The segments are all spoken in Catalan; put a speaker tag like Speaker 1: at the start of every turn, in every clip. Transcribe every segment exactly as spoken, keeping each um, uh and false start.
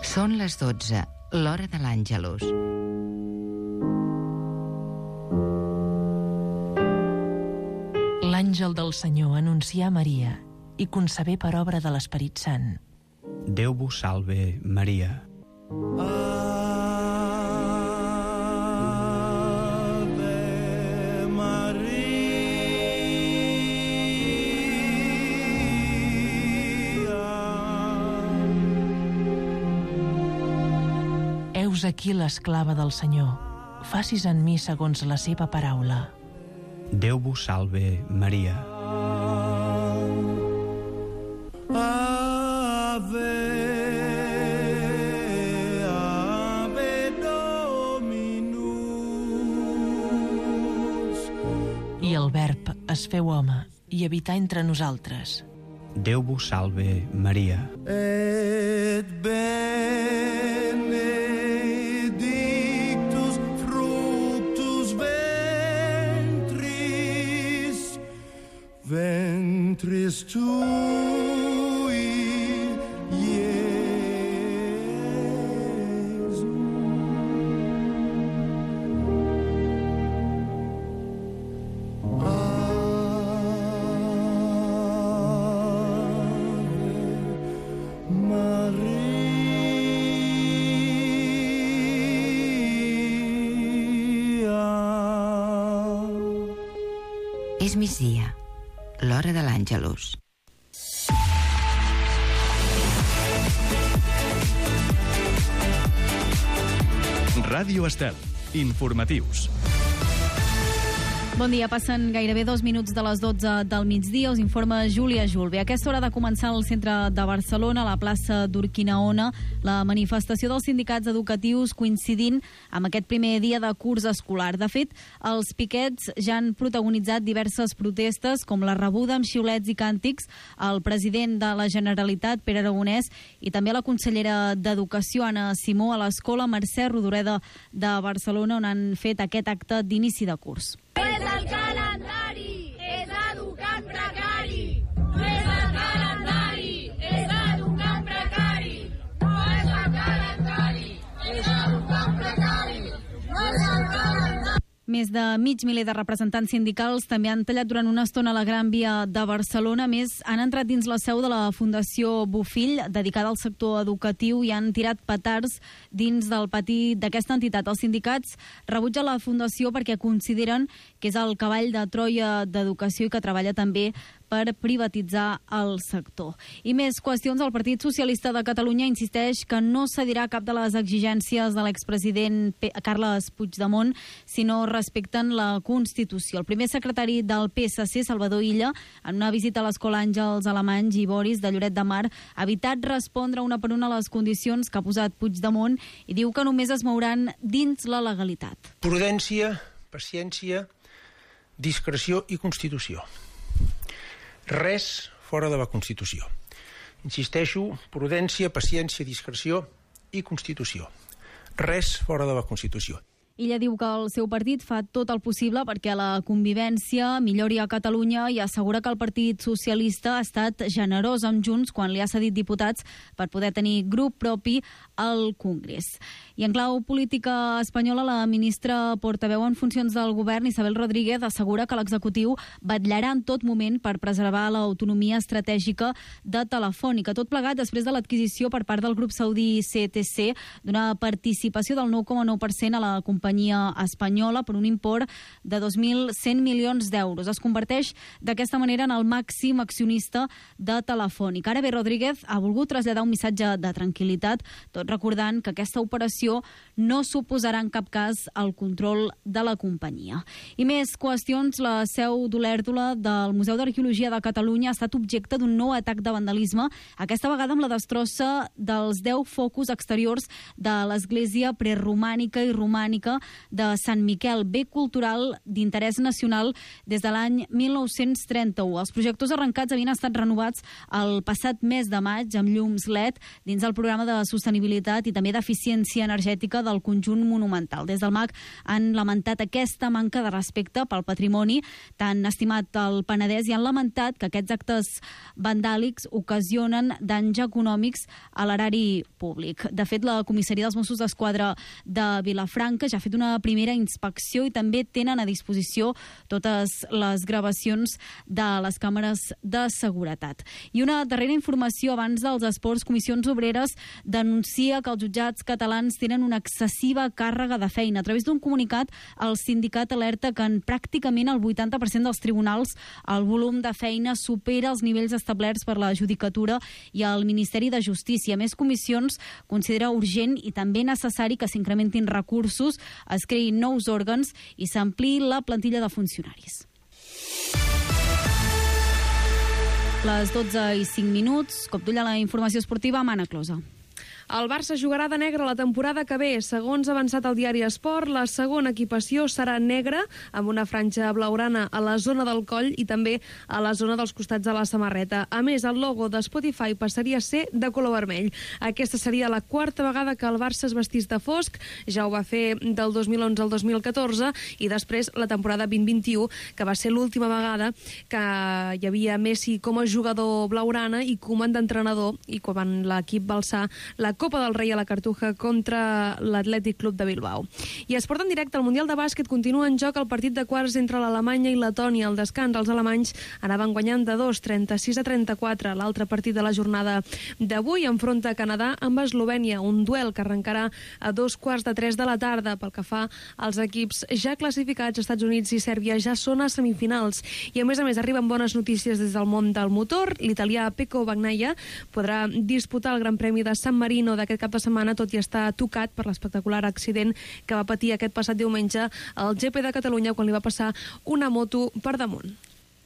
Speaker 1: Són les dotze, l'hora de l'Àngelus.
Speaker 2: L'àngel del Senyor anuncià a Maria i concebé per obra de l'Esperit Sant.
Speaker 3: Déu vos salve, Maria.
Speaker 2: Heus aquí l'esclava del Senyor. Facis en mi segons la seva paraula.
Speaker 3: Déu vos salve, Maria.
Speaker 4: Ave, Ave Dominus.
Speaker 2: I el Verb es feu home i habità entre nosaltres.
Speaker 3: Déu vos salve, Maria.
Speaker 4: Et benedictus fructus ventris, ventris tui, Iesus.
Speaker 1: És migdia, l'hora de l'Àngelus.
Speaker 5: Ràdio Estel. Informatius.
Speaker 6: Bon dia, passen gairebé dos minuts de les dotze del migdia. Us informa Júlia Julve. A aquesta hora de començar al centre de Barcelona, a la plaça d'Urquinaona, la manifestació dels sindicats educatius coincidint amb aquest primer dia de curs escolar. De fet, els piquets ja han protagonitzat diverses protestes, com la rebuda amb xiulets i càntics al president de la Generalitat, Pere Aragonès, i també a la consellera d'Educació, Anna Simó, a l'escola Mercè Rodoreda de Barcelona, on han fet aquest acte d'inici de curs.
Speaker 7: És el calendari, és educant precari. No és el calendari, és educant precari. No és el calendari, és educant precari. No és el calendari.
Speaker 6: Més de mig miler de representants sindicals també han tallat durant una estona a la Gran Via de Barcelona. A més, han entrat dins la seu de la Fundació Bofill, dedicada al sector educatiu, i han tirat petards dins del pati d'aquesta entitat. Els sindicats rebutgen la Fundació perquè consideren que és el cavall de Troia d'educació i que treballa també per privatitzar el sector. I més qüestions. El Partit Socialista de Catalunya insisteix que no cedirà cap de les exigències de l'expresident Carles Puigdemont si no respecten la Constitució. El primer secretari del P S C, Salvador Illa, en una visita a l'Escola Àngels Alemanys i Boris de Lloret de Mar, ha evitat respondre una per una a les condicions que ha posat Puigdemont i diu que només es mouran dins la legalitat.
Speaker 8: Prudència, paciència, discreció i Constitució. Res fora de la Constitució. Insisteixo, prudència, paciència, discreció i Constitució. Res fora de la Constitució.
Speaker 6: Illa diu que el seu partit fa tot el possible perquè la convivència millori a Catalunya i assegura que el Partit Socialista ha estat generós amb Junts quan li ha cedit diputats per poder tenir grup propi al Congrés. I en clau política espanyola, la ministra portaveu en funcions del govern, Isabel Rodríguez, assegura que l'executiu vetllarà en tot moment per preservar l'autonomia estratègica de Telefònica. Tot plegat després de l'adquisició per part del grup saudí C T C d'una participació del nou coma nou per cent a la companyia espanyola per un import de dos mil cent milions d'euros. Es converteix d'aquesta manera en el màxim accionista de Telefònica. Ara bé, Rodríguez ha volgut traslladar un missatge de tranquil·litat, tot recordant que aquesta operació no suposarà en cap cas el control de la companyia. I més qüestions. La seu d'Olèrdola del Museu d'Arqueologia de Catalunya ha estat objecte d'un nou atac de vandalisme, aquesta vegada amb la destrossa dels deu focus exteriors de l'església preromànica i romànica de Sant Miquel, bé cultural d'interès nacional des de l'any mil nou-cents trenta-u. Els projectors arrencats havien estat renovats el passat mes de maig amb llums L E D dins el programa de sostenibilitat i també d'eficiència energètica del conjunt monumental. Des del M A C han lamentat aquesta manca de respecte pel patrimoni tan estimat al Penedès i han lamentat que aquests actes vandàlics ocasionen danys econòmics a l'erari públic. De fet, la comissaria dels Mossos d'Esquadra de Vilafranca ja ha fet una primera inspecció i també tenen a disposició totes les gravacions de les càmeres de seguretat. I una darrera informació abans dels esports. Comissions Obreres denuncia que els jutjats catalans tenen una excessiva càrrega de feina. A través d'un comunicat, el sindicat alerta que en pràcticament el vuitanta per cent dels tribunals el volum de feina supera els nivells establerts per la Judicatura i el Ministeri de Justícia. A més, Comissions considera urgent i també necessari que s'incrementin recursos, es creïn nous òrgans i s'ampliï la plantilla de funcionaris. Les dotze i cinc minuts, cop d'ull a la informació esportiva amb Anna Closa.
Speaker 9: El Barça jugarà de negre la temporada que ve. Segons ha avançat el diari Esport, la segona equipació serà negra, amb una franja blaugrana a la zona del coll i també a la zona dels costats de la samarreta. A més, el logo de Spotify passaria a ser de color vermell. Aquesta seria la quarta vegada que el Barça es vestís de fosc. Ja ho va fer del dos mil onze al dos mil catorze i després la temporada vint vint-i-u, que va ser l'última vegada que hi havia Messi com a jugador blaugrana i Koeman d'entrenador, i quan l'equip va alçar la Copa del Rei a la Cartuja contra l'Atlètic Club de Bilbao. I es porta en directe al Mundial de Bàsquet. Continua en joc el partit de quarts entre l'Alemanya i Letònia. Al descans, els alemanys anaven guanyant de dos, trenta-sis a trenta-quatre. L'altre partit de la jornada d'avui enfronta Canadà amb Eslovènia, un duel que arrencarà a dos quarts de tres de la tarda. Pel que fa als equips ja classificats, Estats Units i Sèrbia ja són a semifinals. I a més a més arriben bones notícies des del món del motor. L'italià Pecco Bagnaia podrà disputar el Gran Premi de San Marino d'aquest cap de setmana, tot i estar tocat per l'espectacular accident que va patir aquest passat diumenge al G P de Catalunya quan li va passar una moto per damunt.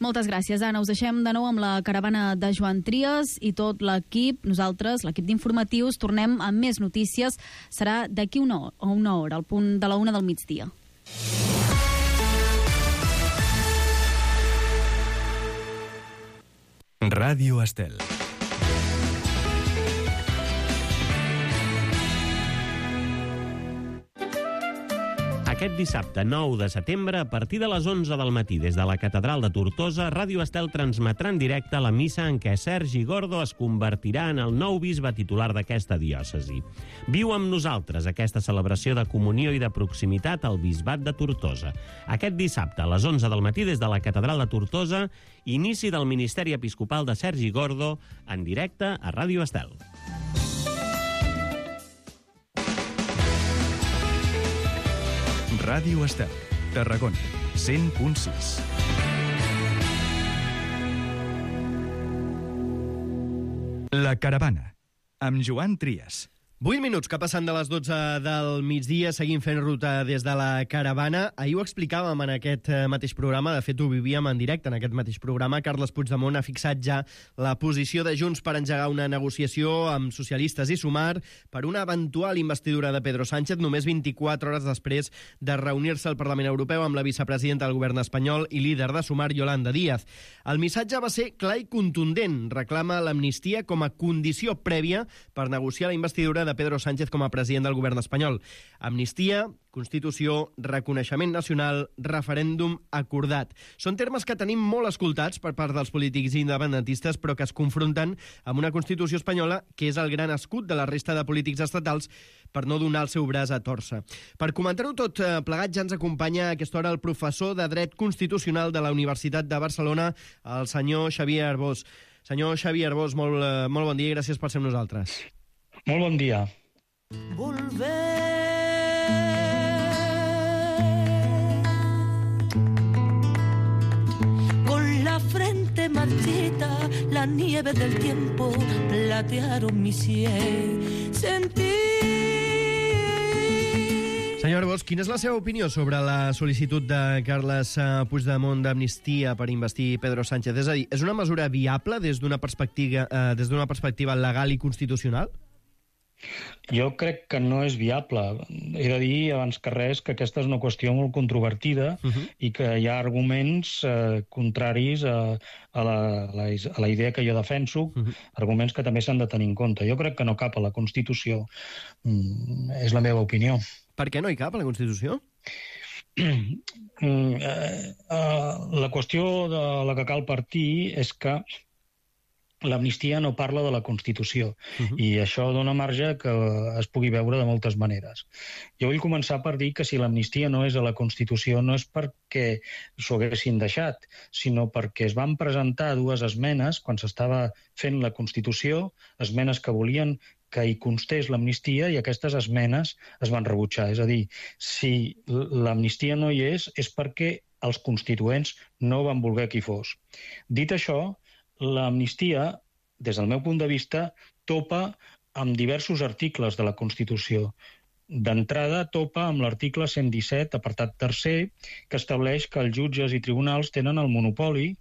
Speaker 6: Moltes gràcies, Anna. Us deixem de nou amb la caravana de Joan Trias i tot l'equip. Nosaltres, l'equip d'informatius, tornem amb més notícies. Serà d'aquí una hora, una hora, al punt de la una del migdia.
Speaker 5: Ràdio Estel.
Speaker 10: Aquest dissabte nou de setembre, a partir de les onze del matí, des de la Catedral de Tortosa, Ràdio Estel transmetrà en directe la missa en què Sergi Gordo es convertirà en el nou bisbe titular d'aquesta diòcesi. Viu amb nosaltres aquesta celebració de comunió i de proximitat al bisbat de Tortosa. Aquest dissabte, a les onze del matí, des de la Catedral de Tortosa, inici del ministeri episcopal de Sergi Gordo, en directe a Ràdio Estel.
Speaker 5: Ràdio Estel, Tarragona, cent punt sis. La caravana, amb Joan Trias.
Speaker 11: vuit minuts que passen de les dotze del migdia, seguim fent ruta des de la caravana. Ahir ho explicàvem en aquest mateix programa, de fet ho vivíem en directe en aquest mateix programa. Carles Puigdemont ha fixat ja la posició de Junts per engegar una negociació amb socialistes i Sumar per una eventual investidura de Pedro Sánchez només vint-i-quatre hores després de reunir-se al Parlament Europeu amb la vicepresidenta del govern espanyol i líder de Sumar, Yolanda Díaz. El missatge va ser clar i contundent. Reclama l'amnistia com a condició prèvia per negociar la investidura de Pedro Sánchez com a president del govern espanyol. Amnistia, Constitució, reconeixement nacional, referèndum acordat. Són termes que tenim molt escoltats per part dels polítics independentistes, però que es confronten amb una Constitució espanyola que és el gran escut de la resta de polítics estatals per no donar el seu braç a tòrcer. Per comentar-ho tot plegat ja ens acompanya a aquesta hora el professor de Dret Constitucional de la Universitat de Barcelona, el senyor Xavier Arbós. Senyor Xavier Arbós, molt, molt bon dia i gràcies per ser amb nosaltres.
Speaker 12: Molt bon dia.
Speaker 4: Volver con la frente marchita, la nieve del tiempo platearon mi sien. Sentí.
Speaker 11: Senyor Arbós, quina és la seva opinió sobre la sol·licitud de Carles Puigdemont d'amnistia per investir Pedro Sánchez? És a dir, és una mesura viable des d'una perspectiva, eh, des d'una perspectiva legal i constitucional?
Speaker 12: Jo crec que no és viable. He de dir, abans que res, que aquesta és una qüestió molt controvertida uh -huh. i que hi ha arguments eh, contraris a, a, la, a, la, a la idea que jo defenso, uh -huh. arguments que també s'han de tenir en compte. Jo crec que no cap a la Constitució. Mm, és la meva opinió.
Speaker 11: Per què no hi cap a la Constitució?
Speaker 12: Mm, eh, eh, la qüestió de la que cal partir és que l'amnistia no parla de la Constitució uh-huh. i això dona marge que es pugui veure de moltes maneres. Jo vull començar per dir que si l'amnistia no és a la Constitució no és perquè s'ho haguessin deixat, sinó perquè es van presentar dues esmenes quan s'estava fent la Constitució, esmenes que volien que hi constés l'amnistia i aquestes esmenes es van rebutjar. És a dir, si l'amnistia no hi és, és perquè els constituents no van voler que hi fos. Dit això, l'amnistia, des del meu punt de vista, topa amb diversos articles de la Constitució. D'entrada, topa amb l'article cent disset, apartat tercer, que estableix que els jutges i tribunals tenen el monopoli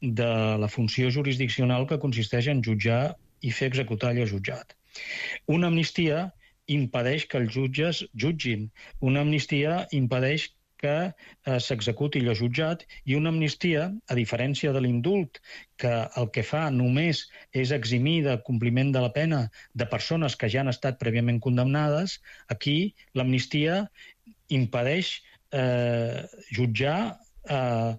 Speaker 12: de la funció jurisdiccional que consisteix en jutjar i fer executar allò jutjat. Una amnistia impedeix que els jutges jutgin. Una amnistia impedeix que eh, s'executi allò jutjat, i una amnistia, a diferència de l'indult, que el que fa només és eximir de compliment de la pena de persones que ja han estat prèviament condemnades, aquí l'amnistia impedeix eh, jutjar, eh,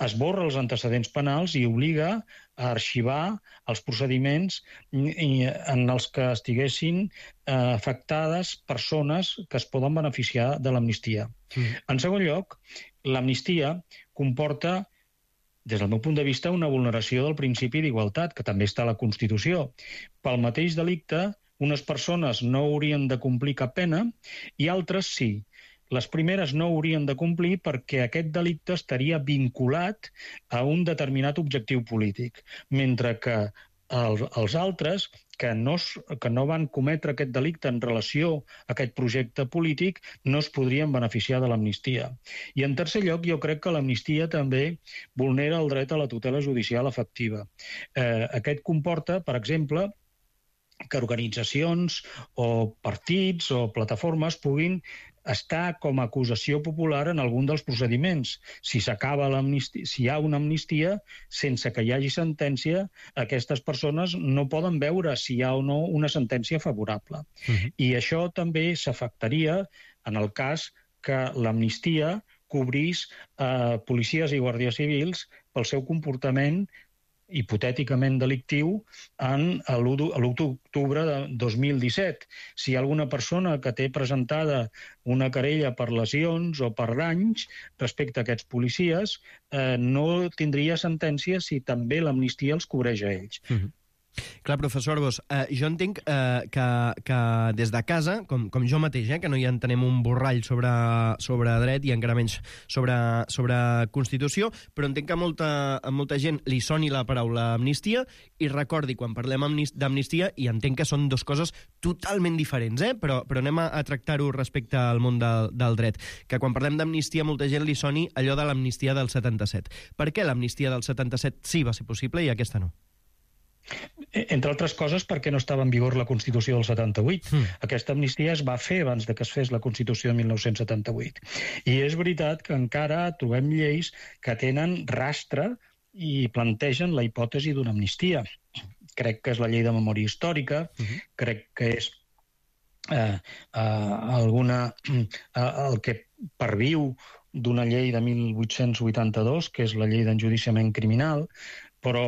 Speaker 12: esborra els antecedents penals i obliga a arxivar els procediments en els que estiguessin eh, afectades persones que es poden beneficiar de l'amnistia. Mm. En segon lloc, l'amnistia comporta, des del meu punt de vista, una vulneració del principi d'igualtat, que també està a la Constitució. Pel mateix delicte, unes persones no haurien de complir cap pena i altres sí. Les primeres no haurien de complir perquè aquest delicte estaria vinculat a un determinat objectiu polític, mentre que el, els altres, que no, que no van cometre aquest delicte en relació a aquest projecte polític, no es podrien beneficiar de l'amnistia. I en tercer lloc, jo crec que l'amnistia també vulnera el dret a la tutela judicial efectiva. Eh, aquest comporta, per exemple, que organitzacions o partits o plataformes puguin està com a acusació popular en algun dels procediments. Si s'acaba l'amnistia, si hi ha una amnistia, sense que hi hagi sentència, aquestes persones no poden veure si hi ha o no una sentència favorable. Uh-huh. I això també s'afectaria en el cas que l'amnistia cobrís eh, policies i guàrdies civils pel seu comportament hipotèticament delictiu en l'u d'octubre de dos mil disset. Si hi ha alguna persona que té presentada una querella per lesions o per danys respecte a aquests policies, eh, no tindria sentència si també l'amnistia els cobreix a ells.
Speaker 11: Mm-hmm. Clar, professor Arbós, eh, jo entenc eh, que, que des de casa, com, com jo mateix, eh, que no hi entenem un borrall sobre, sobre dret i encara menys sobre, sobre Constitució, però entenc que a molta, a molta gent li soni la paraula amnistia i recordi, quan parlem d'amnistia, i entenc que són dues coses totalment diferents, eh, però, però anem a, a tractar-ho respecte al món del, del dret, que quan parlem d'amnistia molta gent li soni allò de l'amnistia del setanta-set. Per què l'amnistia del setanta-set sí va ser possible i aquesta no?
Speaker 12: Entre altres coses perquè no estava en vigor la Constitució del setanta-vuit. Mm. Aquesta amnistia es va fer abans de que es fes la Constitució de mil nou-cents setanta-vuit. I és veritat que encara trobem lleis que tenen rastre i plantegen la hipòtesi d'una amnistia. Crec que és la llei de memòria històrica, mm-hmm. crec que és eh, eh, alguna, eh, el que perviu d'una llei de mil vuit-cents vuitanta-dos, que és la llei d'enjudiciament criminal, però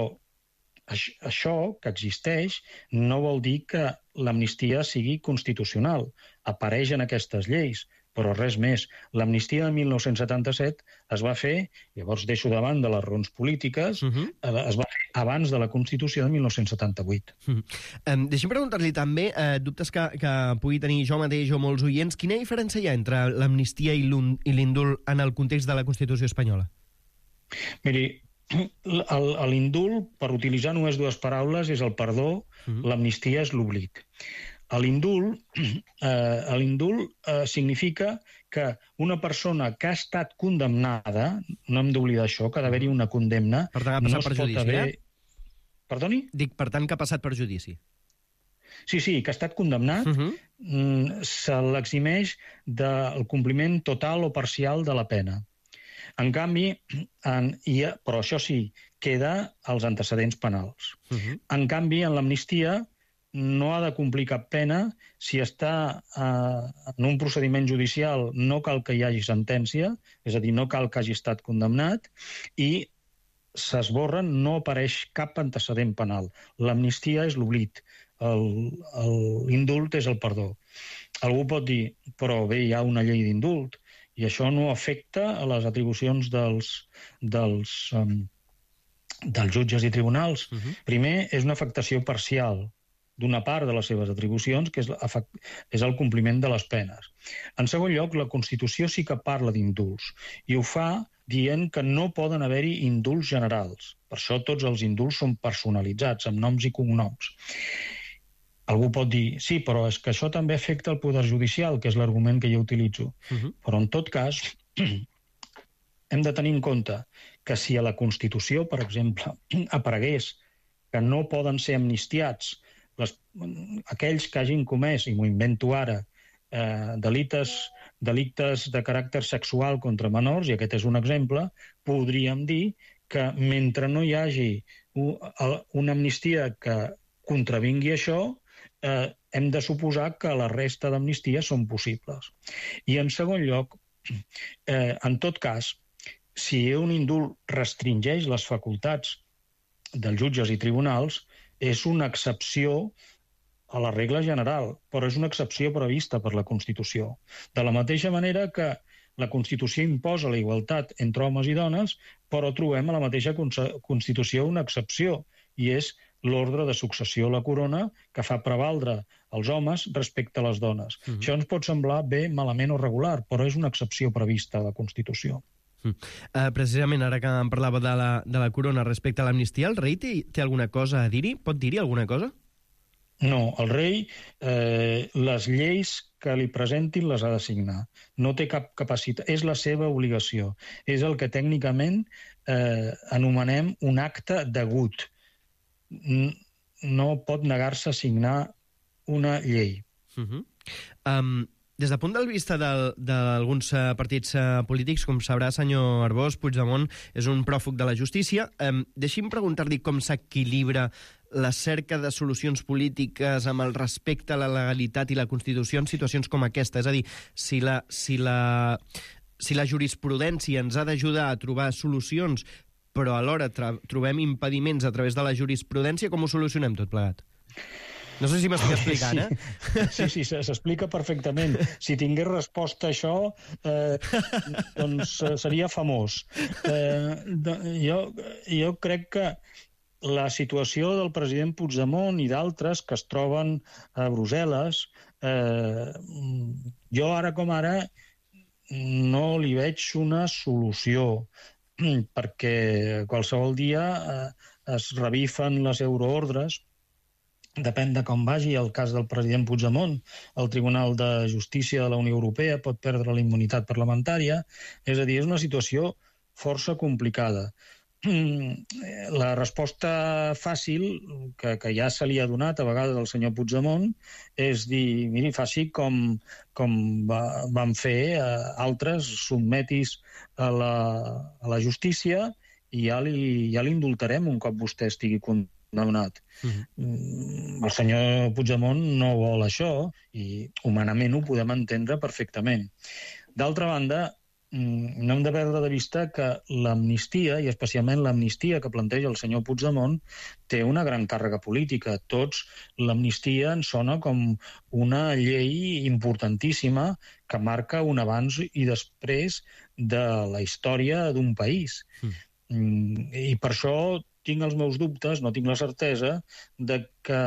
Speaker 12: això, que existeix, no vol dir que l'amnistia sigui constitucional. Apareix en aquestes lleis, però res més. L'amnistia de mil nou-cents setanta-set es va fer, llavors deixo davant de les raons polítiques, uh-huh. es va fer abans de la Constitució de mil nou-cents setanta-vuit.
Speaker 11: Uh-huh. Um, deixi'm preguntar-li també, eh, dubtes que, que pugui tenir jo mateix o molts oients, quina diferència hi ha entre l'amnistia i l'indult en el context de la Constitució espanyola?
Speaker 12: Miri, l'indult, per utilitzar només dues paraules, és el perdó, mm. l'amnistia és l'oblit. L'indult eh, l'indult eh, significa que una persona que ha estat condemnada, no hem d'oblidar això, que ha d'haver-hi una condemna...
Speaker 11: Per tant, ha passat
Speaker 12: no
Speaker 11: per judici,
Speaker 12: haver...
Speaker 11: eh?
Speaker 12: Perdoni?
Speaker 11: Dic, per tant, que ha passat per judici.
Speaker 12: Sí, sí, que ha estat condemnat, uh-huh. se l'eximeix del compliment total o parcial de la pena. En canvi, en, i, però això sí, queda als antecedents penals. Uh-huh. En canvi, en l'amnistia no ha de complir cap pena. Si està eh, en un procediment judicial no cal que hi hagi sentència, és a dir, no cal que hagi estat condemnat, i s'esborren, no apareix cap antecedent penal. L'amnistia és l'oblit, l'indult és el perdó. Algú pot dir, però bé, hi ha una llei d'indult, i això no afecta a les atribucions dels, dels, um, dels jutges i tribunals. Uh-huh. Primer, és una afectació parcial d'una part de les seves atribucions, que és, és el compliment de les penes. En segon lloc, la Constitució sí que parla d'indults, i ho fa dient que no poden haver-hi indults generals. Per això tots els indults són personalitzats, amb noms i cognoms. Algú pot dir, sí, però és que això també afecta el poder judicial, que és l'argument que jo utilitzo. Uh-huh. Però en tot cas, hem de tenir en compte que si a la Constitució, per exemple, aparegués que no poden ser amnistiats les, aquells que hagin comès, i m'ho invento ara, eh, delites, delictes de caràcter sexual contra menors, i aquest és un exemple, podríem dir que mentre no hi hagi una amnistia que contravingui això, eh, hem de suposar que la resta d'amnisties són possibles. I en segon lloc, eh, en tot cas, si un indult restringeix les facultats dels jutges i tribunals, és una excepció a la regla general, però és una excepció prevista per la Constitució. De la mateixa manera que la Constitució imposa la igualtat entre homes i dones, però trobem a la mateixa Constitució una excepció, i és l'ordre de successió a la corona que fa prevaldre els homes respecte a les dones. Uh-huh. Això ens pot semblar bé, malament o regular, però és una excepció prevista a la Constitució.
Speaker 11: Uh, uh, precisament, ara que em parlava de la, de la corona respecte a l'amnistia, el rei té, té alguna cosa a dir-hi? Pot dir-hi alguna cosa?
Speaker 12: No, el rei eh, les lleis que li presentin les ha de signar. No té cap capacitat, és la seva obligació. És el que tècnicament eh, anomenem un acte degut. No pot negar-se a signar una llei.
Speaker 11: Uh-huh. um, des del punt de vista d'alguns uh, partits uh, polítics, com sabrà, senyor Arbós, Puigdemont és un pròfug de la justícia. Um, deixi'm preguntar-li com s'equilibra la cerca de solucions polítiques amb el respecte a la legalitat i la Constitució en situacions com aquesta. És a dir, si la, si la, si la jurisprudència ens ha d'ajudar a trobar solucions, però alhora trobem impediments a través de la jurisprudència, com ho solucionem tot plegat? No sé si m'estic explicant, eh?
Speaker 12: Sí, sí, s'explica perfectament. Si tingués resposta a això, eh, doncs seria famós. Eh, jo, jo crec que la situació del president Puigdemont i d'altres que es troben a Brussel·les, eh, jo ara com ara no li veig una solució, perquè qualsevol dia eh, es revifen les euroordres, depèn de com vagi el cas del president Puigdemont. El Tribunal de Justícia de la Unió Europea pot perdre la immunitat parlamentària, és a dir, és una situació força complicada. La resposta fàcil, que, que ja se li ha donat a vegades al senyor Puigdemont, és dir, miri, faci com, com va, van fer eh, altres, sotmetis a la, a la justícia i ja li, ja l'indultarem un cop vostè estigui condemnat. Uh-huh. El senyor Puigdemont no vol això i humanament ho podem entendre perfectament. D'altra banda, no hem de perdre de vista que l'amnistia, i especialment l'amnistia que planteja el senyor Puigdemont, té una gran càrrega política. Tots, l'amnistia ens sona com una llei importantíssima que marca un abans i després de la història d'un país. Mm. I per això tinc els meus dubtes, no tinc la certesa, de que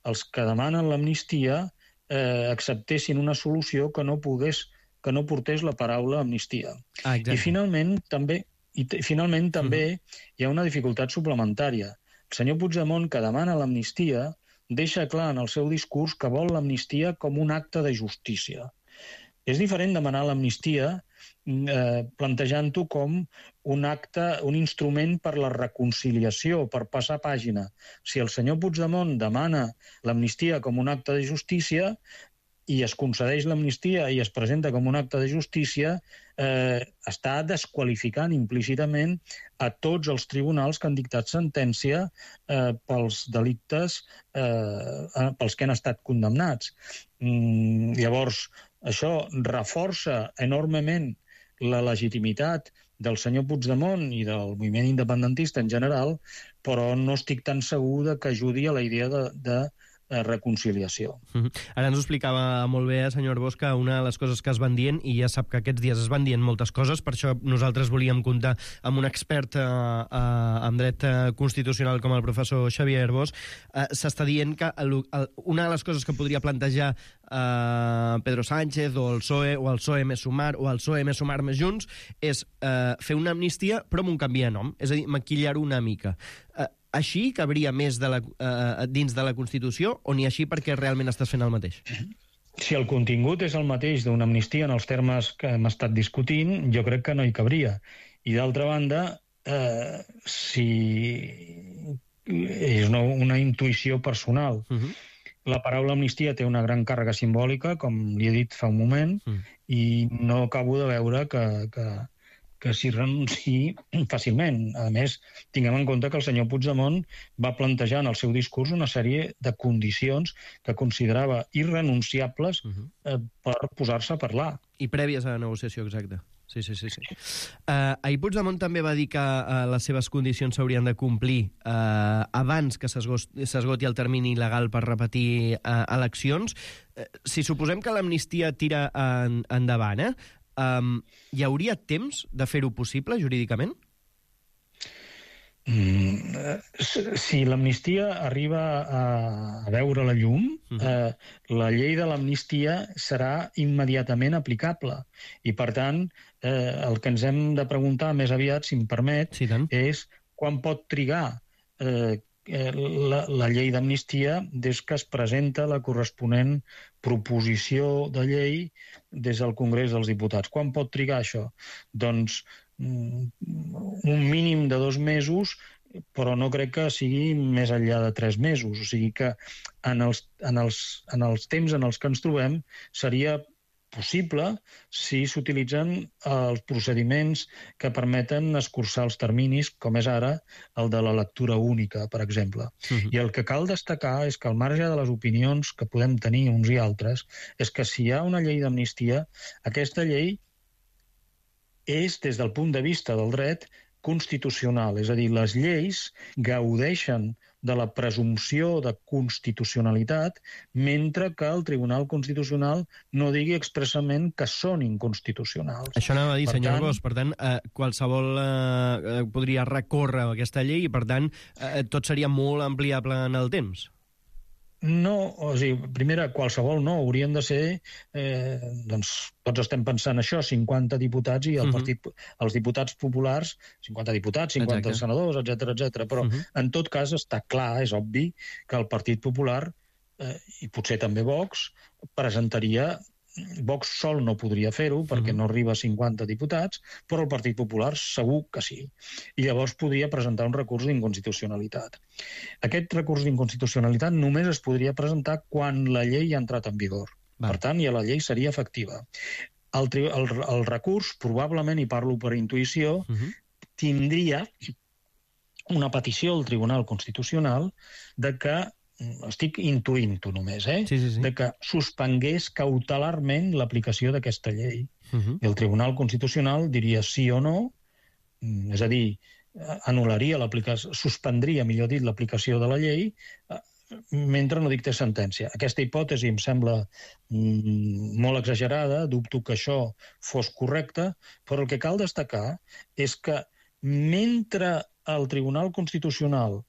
Speaker 12: els que demanen l'amnistia eh, acceptessin una solució que no pogués que no portés la paraula amnistia. Ah, I finalment també, i finalment també uh-huh. hi ha una dificultat suplementària. El senyor Puigdemont, que demana l'amnistia, deixa clar en el seu discurs que vol l'amnistia com un acte de justícia. És diferent demanar l'amnistia eh, plantejant-ho com un acte, un instrument per la reconciliació, per passar pàgina. Si el senyor Puigdemont demana l'amnistia com un acte de justícia i es concedeix l'amnistia i es presenta com un acte de justícia, eh, està desqualificant implícitament a tots els tribunals que han dictat sentència eh, pels delictes eh, pels que han estat condemnats. Mm, llavors, això reforça enormement la legitimitat del senyor Puigdemont i del moviment independentista en general, però no estic tan segur de que ajudi a la idea de, de reconciliació.
Speaker 11: Mm-hmm. Ara ens ho explicava molt bé, senyor Bosch, una de les coses que es van dient, i ja sap que aquests dies es van dient moltes coses, per això nosaltres volíem comptar amb un expert eh, eh, en dret constitucional com el professor Xavier Arbós. Eh, S'està dient que el, el, una de les coses que podria plantejar eh, Pedro Sánchez o el P S O E o el P S O E més Sumar o el P S O E més Sumar més Junts és eh, fer una amnistia però amb un canvi de nom, és a dir, maquillar-ho una mica. Eh, Així cabria més de la, uh, dins de la Constitució o ni així perquè realment estàs fent el mateix?
Speaker 12: Si el contingut és el mateix d'una amnistia en els termes que hem estat discutint, jo crec que no hi cabria. I d'altra banda, eh, si és una, una intuïció personal, uh-huh. La paraula amnistia té una gran càrrega simbòlica, com li he dit fa un moment, uh-huh. i no acabo de veure que... que que s'hi renunciï fàcilment. A més, tinguem en compte que el senyor Puigdemont va plantejar en el seu discurs una sèrie de condicions que considerava irrenunciables uh-huh. eh, per posar-se a parlar.
Speaker 11: I prèvies a la negociació, exacte. Sí, sí, sí. sí. Uh, ahir Puigdemont també va dir que uh, les seves condicions s'haurien de complir uh, abans que s'esgoti el termini legal per repetir uh, eleccions. Uh, si suposem que l'amnistia tira en, endavant, eh? Um, hi hauria temps de fer-ho possible jurídicament?
Speaker 12: Mm, si l'amnistia arriba a, a veure la llum, uh-huh. eh, la llei de l'amnistia serà immediatament aplicable. I, per tant, eh, el que ens hem de preguntar més aviat, si em permet,
Speaker 11: sí,
Speaker 12: és quan pot trigar eh, La, la llei d'amnistia des que es presenta la corresponent proposició de llei des del Congrés dels Diputats. Quan pot trigar això? Doncs un mínim de dos mesos, però no crec que sigui més enllà de tres mesos. O sigui que en els, en els, en els temps en els que ens trobem seria possible si s'utilitzen els procediments que permeten escurçar els terminis, com és ara el de la lectura única, per exemple. Uh-huh. I el que cal destacar és que al marge de les opinions que podem tenir uns i altres, és que si hi ha una llei d'amnistia, aquesta llei és, des del punt de vista del dret, constitucional. És a dir, les lleis gaudeixen de la presumpció de constitucionalitat, mentre que el Tribunal Constitucional no digui expressament que són inconstitucionals.
Speaker 11: Això anava a dir, per senyor tant... Bosch, per tant, eh, qualsevol eh, podria recórrer aquesta llei i, per tant, eh, tot seria molt ampliable en el temps.
Speaker 12: No, o sigui, primera, qualsevol no, haurien de ser, eh, doncs, tots estem pensant això, cinquanta diputats i el uh-huh. partit, els diputats populars, cinquanta diputats, cinquanta Exacte. senadors, etcètera, etcètera. Però, uh-huh. en tot cas, està clar, és obvi, que el Partit Popular, eh, i potser també Vox, presentaria... Vox sol no podria fer-ho perquè uh-huh. no arriba a cinquanta diputats, però el Partit Popular segur que sí. I llavors podria presentar un recurs d'inconstitucionalitat. Aquest recurs d'inconstitucionalitat només es podria presentar quan la llei ha entrat en vigor. Va. Per tant, ja la llei seria efectiva. El, el, el recurs, probablement, i parlo per intuïció, uh-huh. tindria una petició al Tribunal Constitucional de que estic intuint-ho només, eh?
Speaker 11: Sí, sí, sí.
Speaker 12: de que suspengués cautelarment l'aplicació d'aquesta llei. Uh-huh. I el Tribunal Constitucional diria sí o no, és a dir, anul·laria l'aplicació, suspendria, millor dit, l'aplicació de la llei mentre no dictés sentència. Aquesta hipòtesi em sembla mm, molt exagerada, dubto que això fos correcte, però el que cal destacar és que mentre el Tribunal Constitucional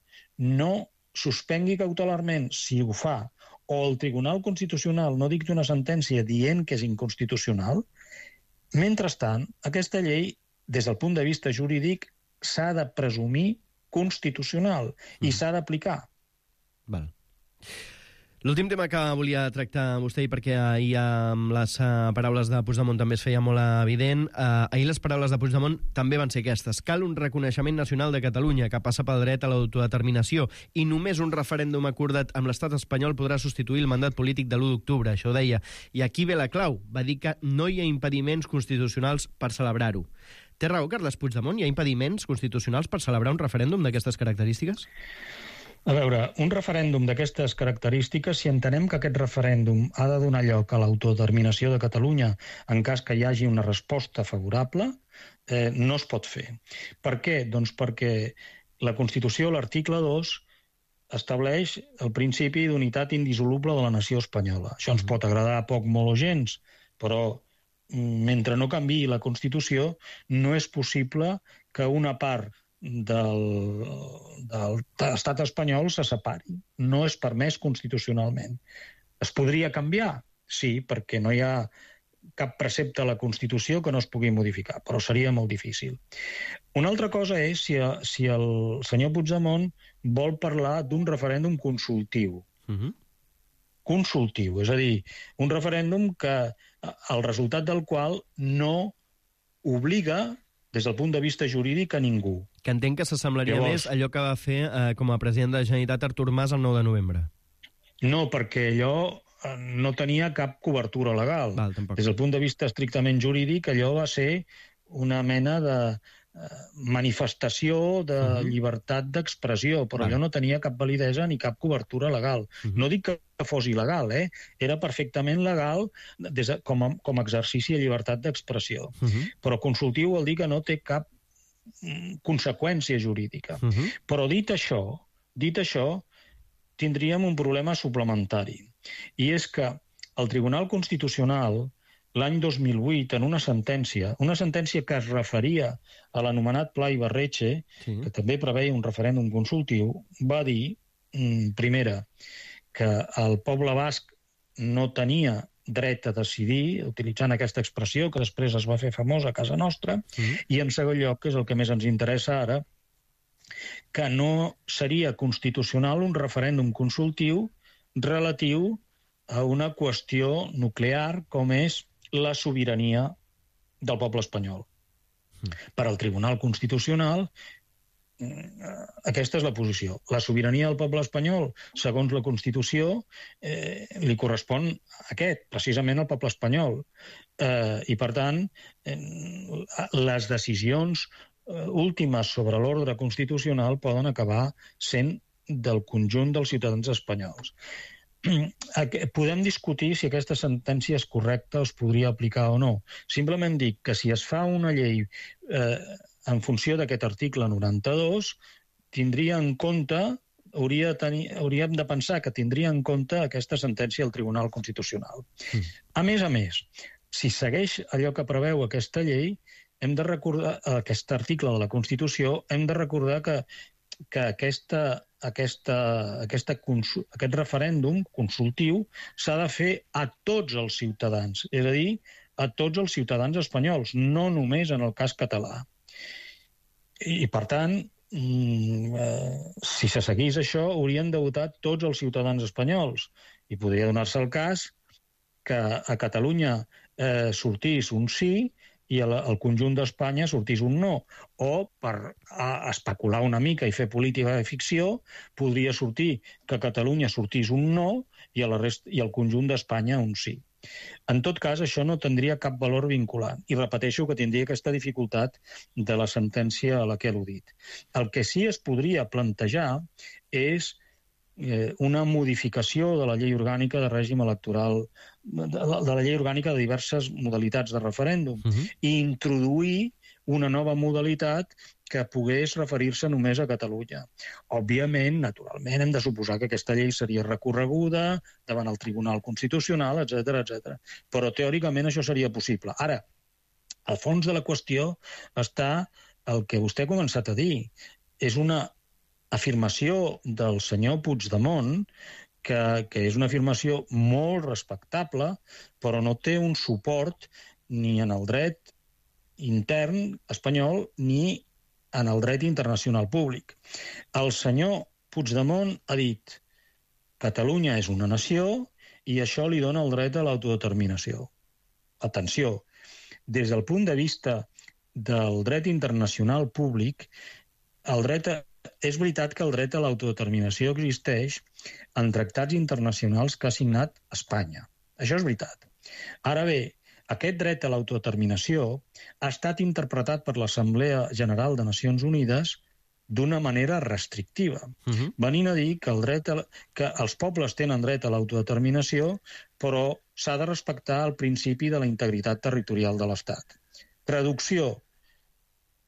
Speaker 12: no suspengui cautelarment, si ho fa, o el Tribunal Constitucional no dicti una sentència dient que és inconstitucional, mentrestant, aquesta llei, des del punt de vista jurídic, s'ha de presumir constitucional i mm. s'ha d'aplicar.
Speaker 11: Val. L'últim tema que volia tractar amb vostè, i perquè ahir amb les uh, paraules de Puigdemont també es feia molt evident, uh, ahir les paraules de Puigdemont també van ser aquestes. Cal un reconeixement nacional de Catalunya que passa pel dret a l'autodeterminació i només un referèndum acordat amb l'estat espanyol podrà substituir el mandat polític de l'u d'octubre, això ho deia. I aquí ve la clau, va dir que no hi ha impediments constitucionals per celebrar-ho. Té raó Carles Puigdemont? Hi ha impediments constitucionals per celebrar un referèndum d'aquestes característiques?
Speaker 12: A veure, un referèndum d'aquestes característiques, si entenem que aquest referèndum ha de donar lloc a l'autodeterminació de Catalunya en cas que hi hagi una resposta favorable, eh, no es pot fer. Per què? Doncs perquè la Constitució, l'article dos, estableix el principi d'unitat indissoluble de la nació espanyola. Això ens pot agradar poc, molt o gens, però mentre no canviï la Constitució, no és possible que una part del, del estat espanyol se separi. No és permès constitucionalment. Es podria canviar? Sí, perquè no hi ha cap precepte a la Constitució que no es pugui modificar, però seria molt difícil. Una altra cosa és si, si el senyor Puigdemont vol parlar d'un referèndum consultiu. Uh-huh. Consultiu, és a dir, un referèndum que el resultat del qual no obliga des del punt de vista jurídic a ningú.
Speaker 11: Que entenc que s'assemblaria Llavors... més allò que va fer eh, com a president de la Generalitat Artur Mas el nou de novembre.
Speaker 12: No, perquè allò no tenia cap cobertura legal.
Speaker 11: Val,
Speaker 12: des del punt de vista estrictament jurídic, allò va ser una mena de manifestació de uh-huh. llibertat d'expressió, però allò no tenia cap validesa ni cap cobertura legal. Uh-huh. No dic que fos il·legal, eh? Era perfectament legal des de, com, a, com a exercici de llibertat d'expressió. Uh-huh. Però consultiu vol dir que no té cap mm, conseqüència jurídica. Uh-huh. Però dit això, dit això, tindríem un problema suplementari. I és que el Tribunal Constitucional l'any dos mil vuit, en una sentència, una sentència que es referia a l'anomenat Pla Ibarretxe, sí. que també preveia un referèndum consultiu, va dir, primera, que el poble basc no tenia dret a decidir, utilitzant aquesta expressió que després es va fer famosa a casa nostra, sí. i en segon lloc, que és el que més ens interessa ara, que no seria constitucional un referèndum consultiu relatiu a una qüestió nuclear com és la sobirania del poble espanyol. Mm. Per al Tribunal Constitucional, aquesta és la posició. La sobirania del poble espanyol, segons la Constitució, eh, li correspon a aquest, precisament al poble espanyol. Eh, I, per tant, eh, les decisions eh, últimes sobre l'ordre constitucional poden acabar sent del conjunt dels ciutadans espanyols. Podem discutir si aquesta sentència és correcta o es podria aplicar o no. Simplement dic que si es fa una llei eh, en funció d'aquest article noranta-dos, tindria en compte, hauria de tenir, hauríem de pensar que tindria en compte aquesta sentència del Tribunal Constitucional. Mm. A més a més, si segueix allò que preveu aquesta llei, hem de recordar, aquest article de la Constitució, hem de recordar que, que aquesta... Aquesta, aquesta, aquest referèndum consultiu s'ha de fer a tots els ciutadans, és a dir, a tots els ciutadans espanyols, no només en el cas català. I, per tant, si se seguís això, haurien de votar tots els ciutadans espanyols. I podria donar-se el cas que a Catalunya eh, sortís un sí i al conjunt d'Espanya sortís un no. O, per especular una mica i fer política de ficció, podria sortir que a Catalunya sortís un no i, a la resta, i al conjunt d'Espanya un sí. En tot cas, això no tindria cap valor vinculant. I repeteixo que tindria aquesta dificultat de la sentència a la que he al·ludit. El que sí es podria plantejar és una modificació de la llei orgànica de règim electoral, de la llei orgànica de diverses modalitats de referèndum, uh-huh. i introduir una nova modalitat que pogués referir-se només a Catalunya. Òbviament, naturalment, hem de suposar que aquesta llei seria recorreguda davant el Tribunal Constitucional, etcètera, etcètera. Però teòricament això seria possible. Ara, al fons de la qüestió està el que vostè ha començat a dir. És una afirmació del senyor Puigdemont, que, que és una afirmació molt respectable, però no té un suport ni en el dret intern espanyol ni en el dret internacional públic. El senyor Puigdemont ha dit Catalunya és una nació i això li dona el dret a l'autodeterminació. Atenció, des del punt de vista del dret internacional públic, el dret a... és veritat que el dret a l'autodeterminació existeix en tractats internacionals que ha signat Espanya. Això és veritat. Ara bé, aquest dret a l'autodeterminació ha estat interpretat per l'Assemblea General de Nacions Unides d'una manera restrictiva, uh-huh. venint a dir que, el dret a, que els pobles tenen dret a l'autodeterminació, però s'ha de respectar el principi de la integritat territorial de l'Estat. Traducció: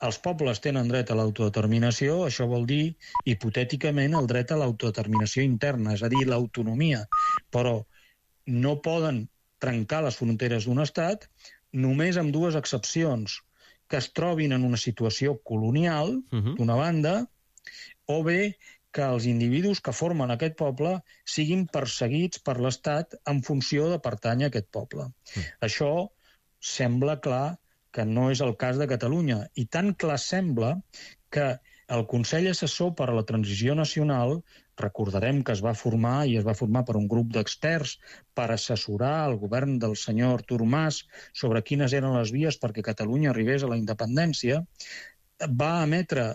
Speaker 12: els pobles tenen dret a l'autodeterminació, això vol dir, hipotèticament, el dret a l'autodeterminació interna, és a dir, l'autonomia, però no poden trencar les fronteres d'un estat només amb dues excepcions: que es trobin en una situació colonial, uh-huh. d'una banda, o bé que els individus que formen aquest poble siguin perseguits per l'Estat en funció de pertànyer a aquest poble. Uh-huh. Això sembla clar que no és el cas de Catalunya, i tan clar sembla que el Consell Assessor per a la Transició Nacional, recordarem que es va formar i es va formar per un grup d'experts per assessorar el govern del senyor Artur Mas sobre quines eren les vies perquè Catalunya arribés a la independència, va emetre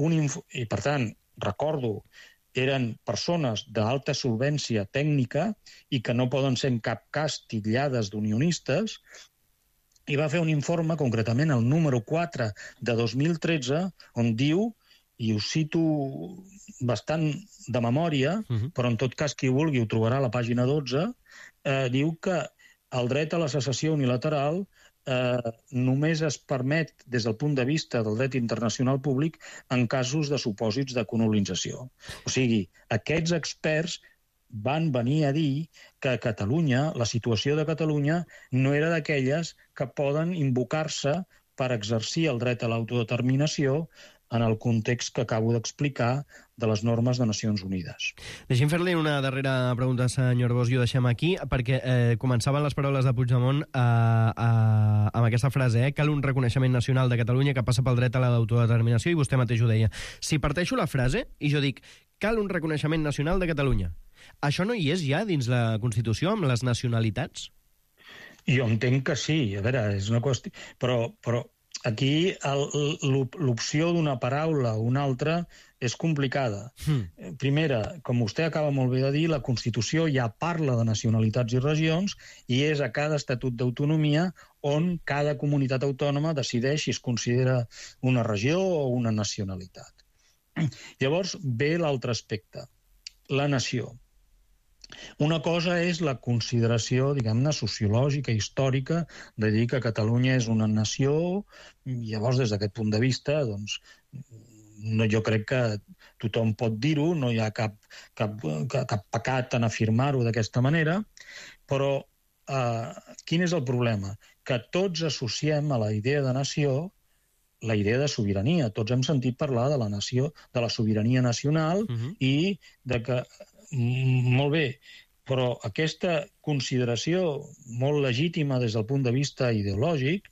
Speaker 12: un informe, i per tant, recordo, eren persones d'alta solvència tècnica i que no poden ser en cap cas titllades d'unionistes, i va fer un informe, concretament el número quatre de dos mil tretze, on diu, i ho cito bastant de memòria, uh-huh. però en tot cas qui vulgui ho trobarà a la pàgina dotze, eh, diu que el dret a la secessió unilateral eh, només es permet des del punt de vista del dret internacional públic en casos de supòsits de colonització. O sigui, aquests experts van venir a dir que a Catalunya, la situació de Catalunya, no era d'aquelles que poden invocar-se per exercir el dret a l'autodeterminació en el context que acabo d'explicar de les normes de Nacions Unides.
Speaker 11: Deixem fer-li una darrera pregunta, senyor Bosch, i ho deixem aquí, perquè eh, començaven les paraules de Puigdemont eh, eh, amb aquesta frase, eh, cal un reconeixement nacional de Catalunya que passa pel dret a l'autodeterminació, i vostè mateix ho deia. Si parteixo la frase i jo dic cal un reconeixement nacional de Catalunya, això no hi és ja dins la Constitució amb les nacionalitats?
Speaker 12: Jo entenc que sí, a veure, és una qüestió... Però, però aquí l'opció d'una paraula o una altra és complicada. Mm. Primera, com vostè acaba molt bé de dir, la Constitució ja parla de nacionalitats i regions i és a cada estatut d'autonomia on cada comunitat autònoma decideix si es considera una regió o una nacionalitat. Llavors ve l'altre aspecte, la nació. Una cosa és la consideració, diguem-ne, sociològica, històrica, de dir que Catalunya és una nació, i llavors, des d'aquest punt de vista, doncs, no, jo crec que tothom pot dir-ho, no hi ha cap, cap, cap pecat en afirmar-ho d'aquesta manera, però eh, quin és el problema? Que tots associem a la idea de nació la idea de sobirania. Tots hem sentit parlar de la nació, de la sobirania nacional, uh-huh. i de que molt bé, però aquesta consideració molt legítima des del punt de vista ideològic,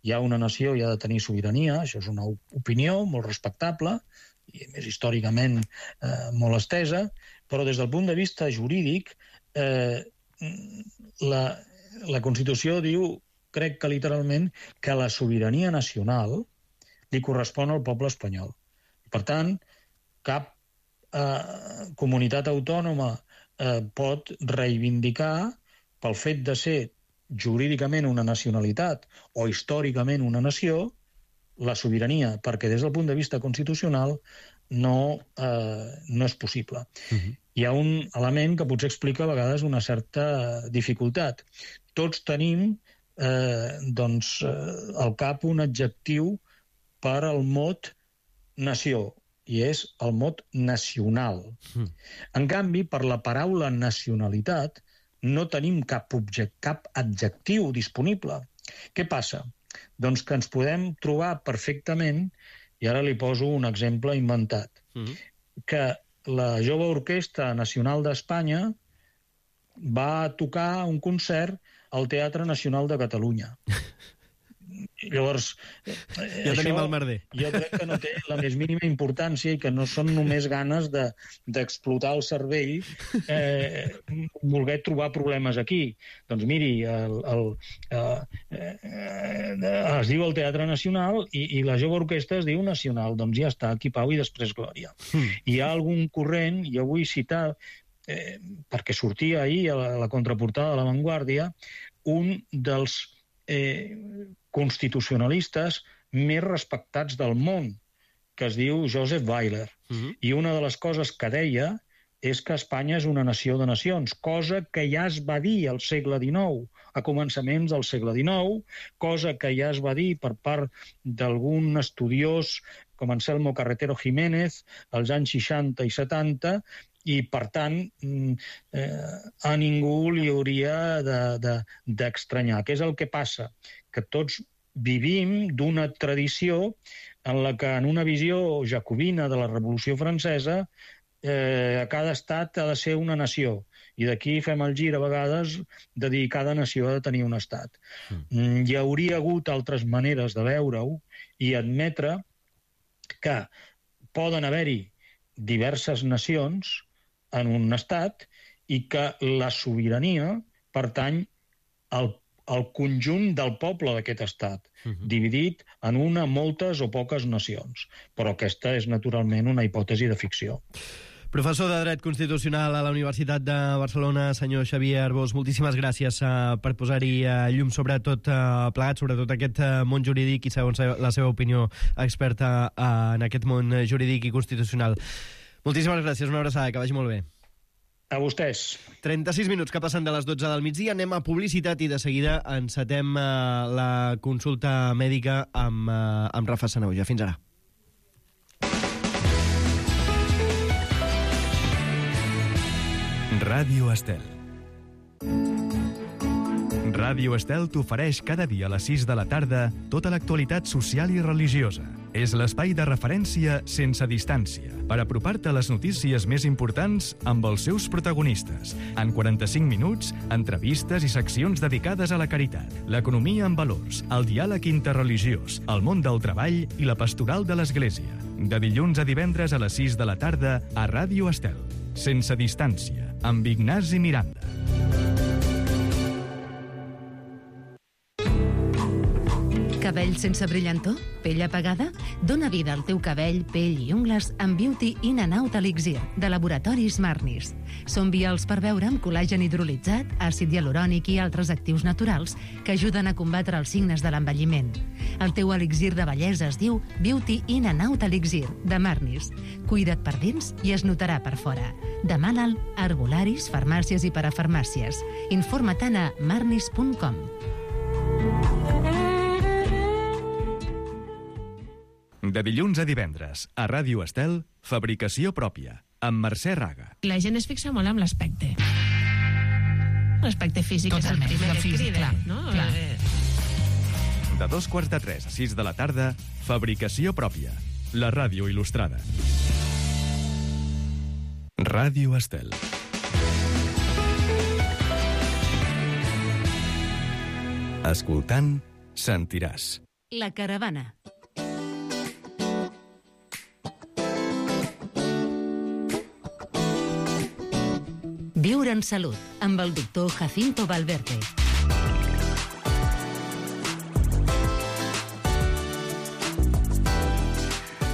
Speaker 12: hi ha una nació i ha de tenir sobirania, això és una opinió molt respectable, i més històricament eh, molt estesa, però des del punt de vista jurídic, eh, la, la Constitució diu, crec que literalment, que la sobirania nacional li correspon al poble espanyol. Per tant, cap Eh, comunitat autònoma eh, pot reivindicar pel fet de ser jurídicament una nacionalitat o històricament una nació la sobirania, perquè des del punt de vista constitucional no, eh, no és possible. Uh-huh. Hi ha un element que potser explica a vegades una certa dificultat. Tots tenim eh, doncs, eh, al cap un adjectiu per al mot nació, i és el mot nacional. Mm. En canvi, per la paraula nacionalitat no tenim cap, object, cap adjectiu disponible. Què passa? Doncs que ens podem trobar perfectament, i ara li poso un exemple inventat, mm. que la Jove Orquestra Nacional d'Espanya va tocar un concert al Teatre Nacional de Catalunya. Llavors,
Speaker 11: eh, ja tenim el merder.
Speaker 12: Jo crec que no té la més mínima importància i que no són només ganes de, d'explotar el cervell eh, voler trobar problemes aquí. Doncs miri, el, el, eh, eh, es diu el Teatre Nacional i, i la jove orquestra es diu Nacional. Doncs ja està, aquí pau i després glòria. Mm. Hi ha algun corrent, jo vull citar, eh, perquè sortia ahir a la, a la contraportada de La Vanguardia, un dels eh, constitucionalistes més respectats del món, que es diu Joseph Weiler. Uh-huh. I una de les coses que deia és que Espanya és una nació de nacions, cosa que ja es va dir al segle dinou, a començaments del segle dinou, cosa que ja es va dir per part d'algun estudiós com Anselmo Carretero Jiménez als anys seixanta i setanta, i, per tant, eh, a ningú li hauria d'estranyar. De, de, Què és el que passa? Que tots vivim d'una tradició en la que, en una visió jacobina de la Revolució Francesa, eh, cada estat ha de ser una nació. I d'aquí fem el gir, a vegades, de dir que cada nació ha de tenir un estat. Mm. Hi hauria hagut altres maneres de veure-ho i admetre que poden haver-hi diverses nacions en un estat i que la sobirania pertany al, al conjunt del poble d'aquest estat, uh-huh. dividit en una, moltes o poques nacions. Però aquesta és naturalment una hipòtesi de ficció.
Speaker 11: Professor de Dret Constitucional a la Universitat de Barcelona, senyor Xavier Arbós, moltíssimes gràcies uh, per posar-hi uh, llum sobre tot uh, plegat, sobre tot aquest uh, món jurídic i segons la seva opinió experta uh, en aquest món jurídic i constitucional. Moltíssimes gràcies, una abraçada, que vagi molt bé.
Speaker 12: A vostès.
Speaker 11: trenta-sis minuts que passen de les dotze del migdia, anem a publicitat i de seguida encetem uh, la consulta mèdica amb, uh, amb Rafa Sanahuja. Fins ara.
Speaker 5: Ràdio Estel. Ràdio Estel t'ofereix cada dia a les sis de la tarda tota l'actualitat social i religiosa. És l'espai de referència sense distància per apropar-te a les notícies més importants amb els seus protagonistes. En quaranta-cinc minuts, entrevistes i seccions dedicades a la caritat, l'economia en valors, el diàleg interreligiós, el món del treball i la pastoral de l'Església. De dilluns a divendres a les sis de la tarda a Ràdio Estel. Sense distància, amb Ignasi Miranda.
Speaker 13: Cabell sense brillantor? Pell apagada? Dóna vida al teu cabell, pell i ungles amb Beauty In and Out Elixir, de Laboratoris Marnis. Són vials per beure amb col·làgen hidrolitzat, àcid hialurònic i altres actius naturals que ajuden a combatre els signes de l'envelliment. El teu elixir de bellesa es diu Beauty In and Out Elixir, de Marnis. Cuida't per dins i es notarà per fora. Demana'l a herbolaris, farmàcies i parafarmàcies. Informa-te'n a marnis punt com.
Speaker 5: De dilluns a divendres, a Ràdio Estel, fabricació pròpia, amb Mercè Raga.
Speaker 14: La gent es fixa molt en l'aspecte. L'aspecte físic és el primer que et crida, no? Clar.
Speaker 5: De dos quarts de tres a sis de la tarda, fabricació pròpia, la ràdio il·lustrada. Ràdio Estel. Escoltant, sentiràs.
Speaker 13: La caravana. Viure en salut, amb el doctor Jacinto Valverde.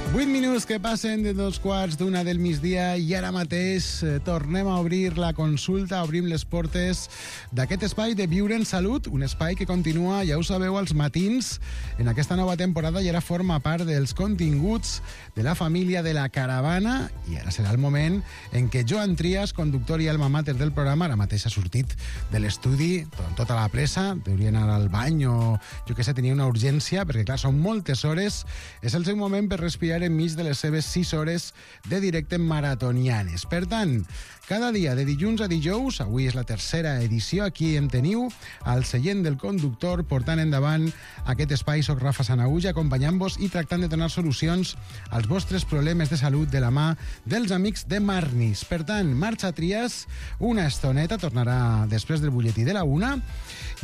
Speaker 15: Vuit minuts que passen de dos quarts d'una del migdia i ara mateix eh, tornem a obrir la consulta, obrim les portes d'aquest espai de Viure en Salut, un espai que continua, ja ho sabeu, als matins en aquesta nova temporada i ara forma part dels continguts de la família de la Caravana i ara serà el moment en què Joan Trias, conductor i alma mater del programa, ara mateix ha sortit de l'estudi amb tota la pressa, deuria anar al bany o jo què sé, tenia una urgència perquè clar, són moltes hores, és el seu moment per respirar enmig de les seves sis hores de directe maratonianes. Per tant, cada dia de dilluns a dijous, avui és la tercera edició, aquí em teniu al seient del conductor portant endavant aquest espai. Soc Rafa Sanahuja, acompanyant-vos i tractant de donar solucions als vostres problemes de salut de la mà dels amics de Marnis. Per tant, marxa Trias una estoneta, tornarà després del butlletí de la una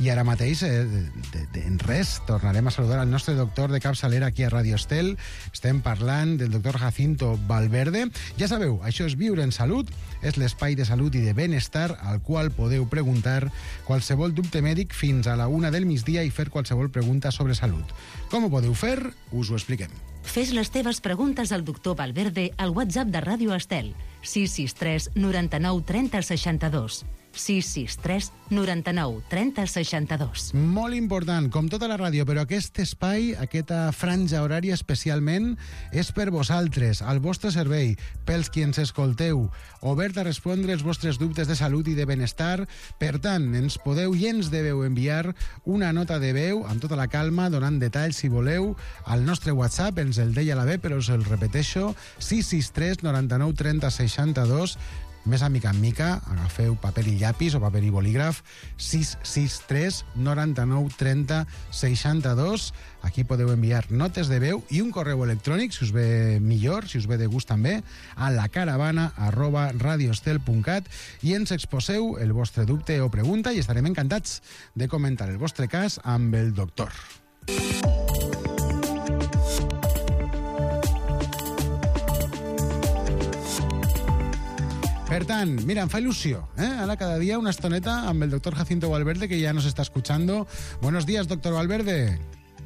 Speaker 15: I ara mateix, eh, de, de, en res, tornarem a saludar al nostre doctor de capçalera aquí a Radio Estel. Estem parlant del doctor Jacinto Valverde. Ja sabeu, això és Viure en Salut, és l'espai de salut i de benestar al qual podeu preguntar qualsevol dubte mèdic fins a la una del migdia i fer qualsevol pregunta sobre salut. Com ho podeu fer? Us ho expliquem.
Speaker 13: Fes les teves preguntes al doctor Valverde al WhatsApp de Ràdio Estel, sis sis tres noranta-nou trenta seixanta-dos. sis sis tres noranta-nou trenta seixanta-dos.
Speaker 15: Molt important, com tota la ràdio, però aquest espai, aquesta franja horària especialment, és per vosaltres, al vostre servei, pels qui ens escolteu, obert a respondre els vostres dubtes de salut i de benestar. Per tant, ens podeu i ens deveu enviar una nota de veu, amb tota la calma, donant detalls, si voleu, al nostre WhatsApp, ens el deia la B, però us el repeteixo, sis sis tres noranta-nou trenta seixanta-dos. Més a mica en mica, agafeu paper i llapis o paper i bolígraf, sis sis tres noranta-nou trenta seixanta-dos. Aquí podeu enviar notes de veu i un correu electrònic, si us ve millor, si us ve de gust també, a lacaravana arroba radioestel punt cat, i ens exposeu el vostre dubte o pregunta i estarem encantats de comentar el vostre cas amb el doctor. Per tant, mira, em fa ilusió, ¿eh? Ahora cada día una estoneta amb el doctor Jacinto Valverde, que ya nos está escuchando. Buenos días, doctor Valverde.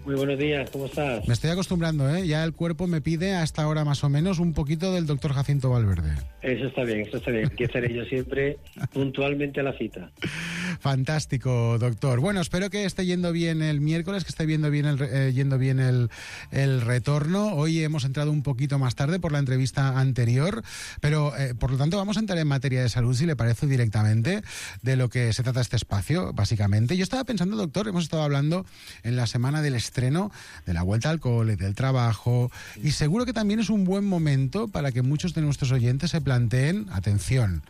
Speaker 16: Muy buenos días, ¿cómo estás?
Speaker 15: Me estoy acostumbrando, ¿eh? Ya el cuerpo me pide a esta hora más o menos un poquito del doctor Jacinto Valverde.
Speaker 16: Eso está bien, eso está bien. Aquí estaré yo siempre puntualmente a la cita.
Speaker 15: Fantástico, doctor. Bueno, espero que esté yendo bien el miércoles, que esté yendo bien el, eh, yendo bien el, el retorno. Hoy hemos entrado un poquito más tarde por la entrevista anterior, pero eh, por lo tanto vamos a entrar en materia de salud, si le parece, directamente de lo que se trata este espacio, básicamente. Yo estaba pensando, doctor, hemos estado hablando en la semana del estreno, de la vuelta al cole, del trabajo, y seguro que también es un buen momento para que muchos de nuestros oyentes se planteen, atención,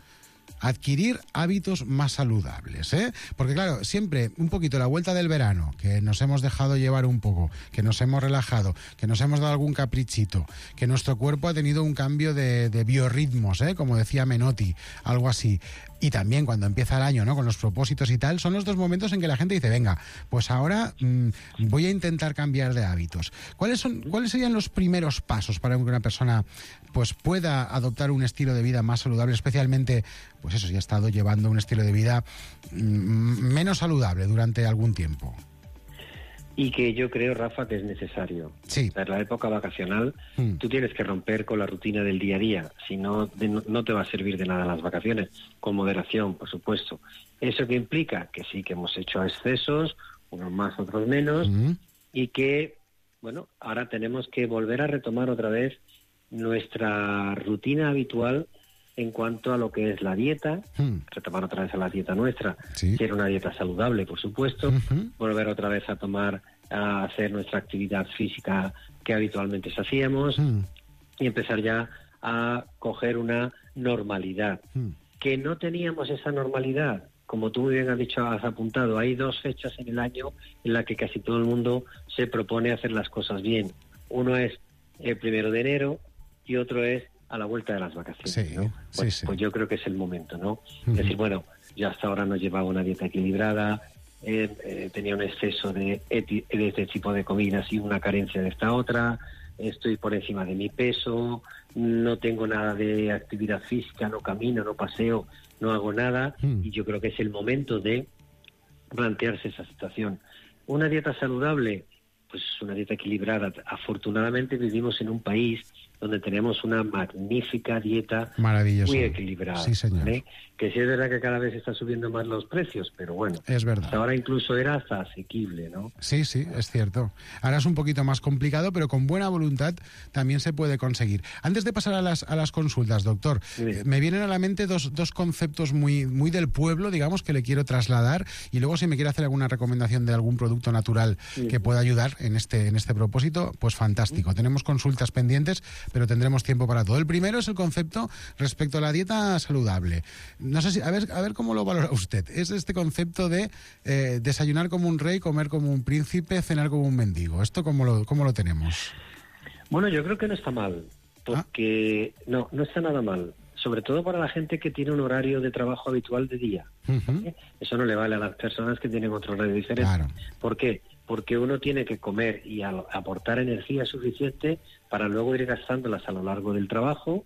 Speaker 15: adquirir hábitos más saludables, ¿eh? Porque claro, siempre un poquito la vuelta del verano, que nos hemos dejado llevar un poco, que nos hemos relajado, que nos hemos dado algún caprichito, que nuestro cuerpo ha tenido un cambio de, de biorritmos, ¿eh? Como decía Menotti, algo así. Y también cuando empieza el año, ¿no? Con los propósitos y tal, son los dos momentos en que la gente dice, venga, pues ahora mmm, voy a intentar cambiar de hábitos. ¿Cuáles son, cuáles serían los primeros pasos para que una persona pues pueda adoptar un estilo de vida más saludable, especialmente, pues eso, si ha estado llevando un estilo de vida mmm, menos saludable durante algún tiempo?
Speaker 16: Y que yo creo, Rafa, que es necesario.
Speaker 15: Sí.
Speaker 16: En la época vacacional, mm. tú tienes que romper con la rutina del día a día. Si no, de, no te va a servir de nada las vacaciones. Con moderación, por supuesto. ¿Eso que implica? Que sí, que hemos hecho excesos, unos más, otros menos, mm. y que, bueno, ahora tenemos que volver a retomar otra vez nuestra rutina habitual en cuanto a lo que es la dieta, hmm. retomar otra vez a la dieta nuestra, sí. Si era una dieta saludable, por supuesto, uh-huh. volver otra vez a tomar, a hacer nuestra actividad física que habitualmente hacíamos, hmm. y empezar ya a coger una normalidad. Hmm. Que no teníamos esa normalidad, como tú muy bien has dicho, has apuntado, hay dos fechas en el año en las que casi todo el mundo se propone hacer las cosas bien. Uno es el primero de enero y otro es a la vuelta de las vacaciones,
Speaker 15: sí,
Speaker 16: ¿no? Pues,
Speaker 15: sí, sí.
Speaker 16: pues yo creo que es el momento, ¿no?
Speaker 15: Uh-huh.
Speaker 16: Es decir, bueno, yo hasta ahora no llevaba una dieta equilibrada, eh, eh, tenía un exceso de, eti- de este tipo de comidas y una carencia de esta otra, estoy por encima de mi peso, no tengo nada de actividad física, no camino, no paseo, no hago nada, uh-huh. y yo creo que es el momento de plantearse esa situación. Una dieta saludable, pues una dieta equilibrada. Afortunadamente vivimos en un país donde tenemos una magnífica dieta muy equilibrada.
Speaker 15: Sí, señor.
Speaker 16: ¿Vale? Que sí es verdad que cada vez está subiendo más los precios, pero bueno,
Speaker 15: es verdad.
Speaker 16: Hasta ahora incluso era hasta asequible, ¿no?
Speaker 15: Sí, sí, es cierto. Ahora es un poquito más complicado, pero con buena voluntad también se puede conseguir. Antes de pasar a las, a las consultas, doctor, sí. eh, me vienen a la mente dos, dos conceptos muy, muy del pueblo, digamos, que le quiero trasladar, y luego si me quiere hacer alguna recomendación de algún producto natural sí. que pueda ayudar en este, en este propósito, pues fantástico. Sí. Tenemos consultas pendientes, pero tendremos tiempo para todo. El primero es el concepto respecto a la dieta saludable. No sé si, a ver, a ver cómo lo valora usted. Es este concepto de eh, desayunar como un rey, comer como un príncipe, cenar como un mendigo. ¿Esto cómo lo, cómo lo tenemos?
Speaker 16: Bueno, yo creo que no está mal, porque... ¿Ah? No, no está nada mal. sobre todo para la gente que tiene un horario de trabajo habitual de día.
Speaker 15: Uh-huh.
Speaker 16: ¿eh? Eso no le vale a las personas que tienen otro horario diferente.
Speaker 15: Claro.
Speaker 16: ¿Por qué? Porque uno tiene que comer y a- aportar energía suficiente para luego ir gastándolas a lo largo del trabajo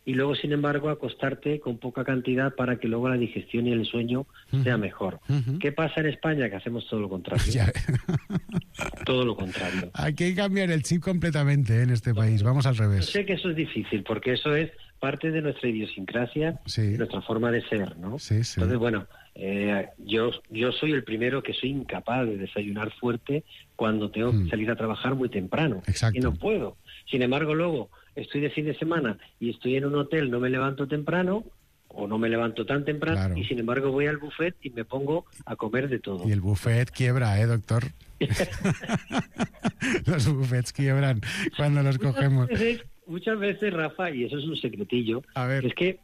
Speaker 16: y luego, sin embargo, acostarte con poca cantidad para que luego la digestión y el sueño
Speaker 15: Uh-huh.
Speaker 16: sea mejor.
Speaker 15: Uh-huh.
Speaker 16: ¿Qué pasa en España? Que hacemos todo lo contrario.
Speaker 15: Ya.
Speaker 16: Todo lo contrario.
Speaker 15: Hay que cambiar el chip completamente, ¿eh? En este país. Vamos al
Speaker 16: Yo
Speaker 15: revés.
Speaker 16: sé que eso es difícil, porque eso es parte de nuestra idiosincrasia,
Speaker 15: Sí.
Speaker 16: de nuestra forma de ser, ¿no?
Speaker 15: Sí, sí.
Speaker 16: Entonces, bueno, eh, yo, yo soy el primero que soy incapaz de desayunar fuerte cuando tengo que salir a trabajar muy temprano.
Speaker 15: Mm. Exacto.
Speaker 16: Y no puedo. Sin embargo, luego estoy de fin de semana y estoy en un hotel, no me levanto temprano o no me levanto tan temprano
Speaker 15: Claro.
Speaker 16: y sin embargo voy al buffet y me pongo a comer de todo.
Speaker 15: Y el buffet quiebra, ¿eh, doctor? Los buffets quiebran cuando los cogemos.
Speaker 16: Muchas veces, muchas veces, Rafa, y eso es un secretillo,
Speaker 15: A ver.
Speaker 16: es que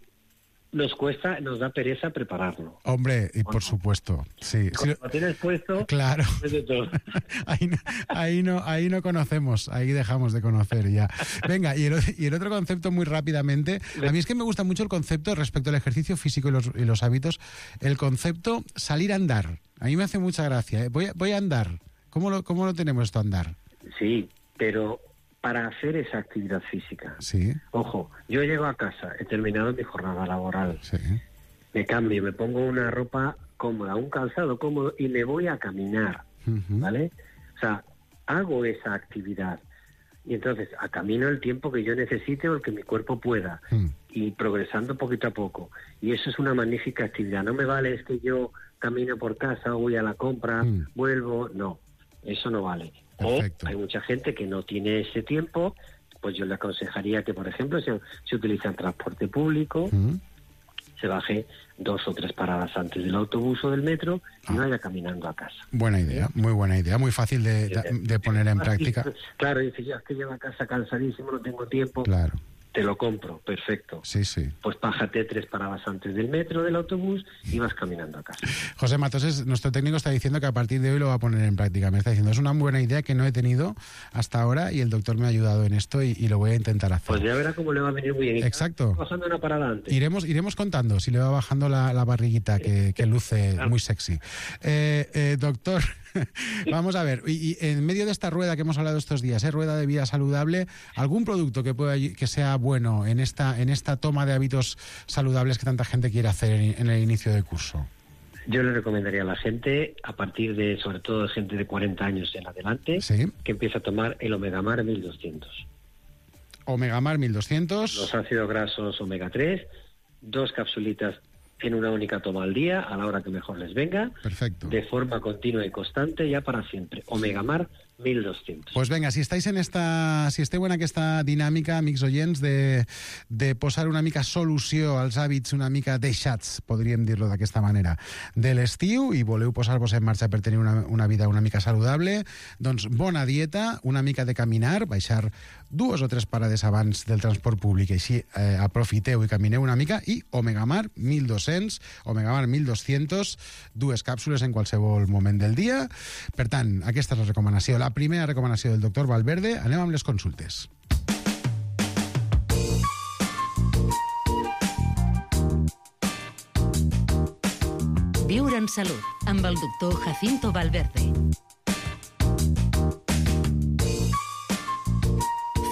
Speaker 16: nos cuesta, nos da pereza prepararlo.
Speaker 15: Hombre, y por supuesto, sí. Sí,
Speaker 16: Cuando lo tienes puesto,
Speaker 15: claro.
Speaker 16: es de todo.
Speaker 15: Ahí no, ahí, no, ahí no conocemos, ahí dejamos de conocer ya. Venga, y el, y el otro concepto muy rápidamente. A mí es que me gusta mucho el concepto respecto al ejercicio físico y los, y los hábitos, el concepto salir a andar. A mí me hace mucha gracia. ¿eh? Voy, a, voy a andar. ¿Cómo lo, ¿Cómo lo tenemos esto, andar?
Speaker 16: Sí, pero para hacer esa actividad física.
Speaker 15: Sí.
Speaker 16: Ojo, yo llego a casa, he terminado mi jornada laboral,
Speaker 15: Sí.
Speaker 16: me cambio, me pongo una ropa cómoda, un calzado cómodo y me voy a caminar,
Speaker 15: Ujú.
Speaker 16: ¿vale? O sea, hago esa actividad y entonces a camino el tiempo que yo necesite o el que mi cuerpo pueda
Speaker 15: Mm.
Speaker 16: y progresando poquito a poco. Y eso es una magnífica actividad. No me vale es que yo camino por casa o voy a la compra,
Speaker 15: Mm.
Speaker 16: vuelvo, no, eso no vale.
Speaker 15: Perfecto.
Speaker 16: O hay mucha gente que no tiene ese tiempo, pues yo le aconsejaría que, por ejemplo, se, se utiliza el transporte público,
Speaker 15: Mm.
Speaker 16: se baje dos o tres paradas antes del autobús o del metro y vaya caminando a casa.
Speaker 15: Buena idea, muy buena idea, muy fácil de, de- de poner en práctica.
Speaker 16: Claro, dice, yo es que llego a casa cansadísimo, no tengo tiempo,
Speaker 15: Claro,
Speaker 16: te lo compro, perfecto.
Speaker 15: sí, sí.
Speaker 16: Pues bájate tres paradas antes del metro, del autobús y vas caminando a casa.
Speaker 15: José Matoses, nuestro técnico, está diciendo que a partir de hoy lo va a poner en práctica. Me está diciendo, es una buena idea que no he tenido hasta ahora y el doctor me ha ayudado en esto y, y lo voy a intentar hacer.
Speaker 16: Pues ya verá cómo le va a venir muy bien. Y
Speaker 15: Exacto.
Speaker 16: bajando una parada antes.
Speaker 15: Iremos, iremos contando si le va bajando la, la barriguita que, que luce muy sexy. Eh, eh, doctor, vamos a ver, y, y en medio de esta rueda que hemos hablado estos días, ¿eh? Rueda de vida saludable, ¿algún producto que pueda que sea bueno en esta, en esta toma de hábitos saludables que tanta gente quiere hacer en, en el inicio del curso?
Speaker 16: Yo le recomendaría a la gente, a partir de, sobre todo de gente de cuarenta años en adelante,
Speaker 15: Sí.
Speaker 16: que empiece a tomar el Omega Mar mil doscientos.
Speaker 15: Omega Mar mil doscientos.
Speaker 16: Los ácidos grasos Omega tres, dos capsulitas en una única toma al día, a la hora que mejor les venga,
Speaker 15: Perfecto.
Speaker 16: de forma continua y constante, ya para siempre. Omega Mar mil doscientos.
Speaker 15: Pues venga, si estáis en esta, si esteu en aquesta dinàmica, amics oients, de, de posar una mica solució als hàbits una mica deixats, podríem dir-lo d'aquesta manera, de l'estiu i voleu posar-vos en marxa per tenir una, una vida una mica saludable, doncs bona dieta, una mica de caminar, baixar dues o tres parades abans del transport públic, així eh, aprofiteu i camineu una mica, i Omega Mar mil dos-cents, Omega Mar mil dos-cents, dues càpsules en qualsevol moment del dia. Per tant, aquesta és la recomanació. La primera recomanació del doctor Valverde. Anem amb les consultes.
Speaker 13: Viure en salut, amb el doctor Jacinto Valverde.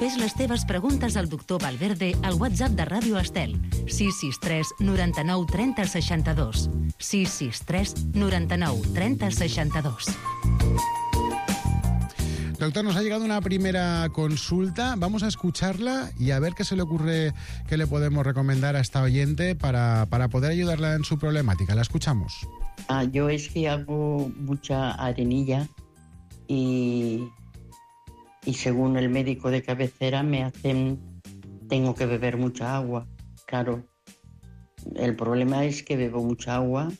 Speaker 13: Fes les teves preguntes al doctor Valverde al WhatsApp de Ràdio Estel, sis sis tres noranta-nou trenta seixanta-dos. sis sis tres noranta-nou trenta seixanta-dos.
Speaker 15: Doctor, nos ha llegado una primera consulta. Vamos a escucharla y a ver qué se le ocurre, qué le podemos recomendar a esta oyente para, para poder ayudarla en su problemática. La escuchamos.
Speaker 17: Ah, yo es que hago mucha arenilla y, y según el médico de cabecera me hacen, tengo que beber mucha agua. Claro, el problema es que bebo mucha agua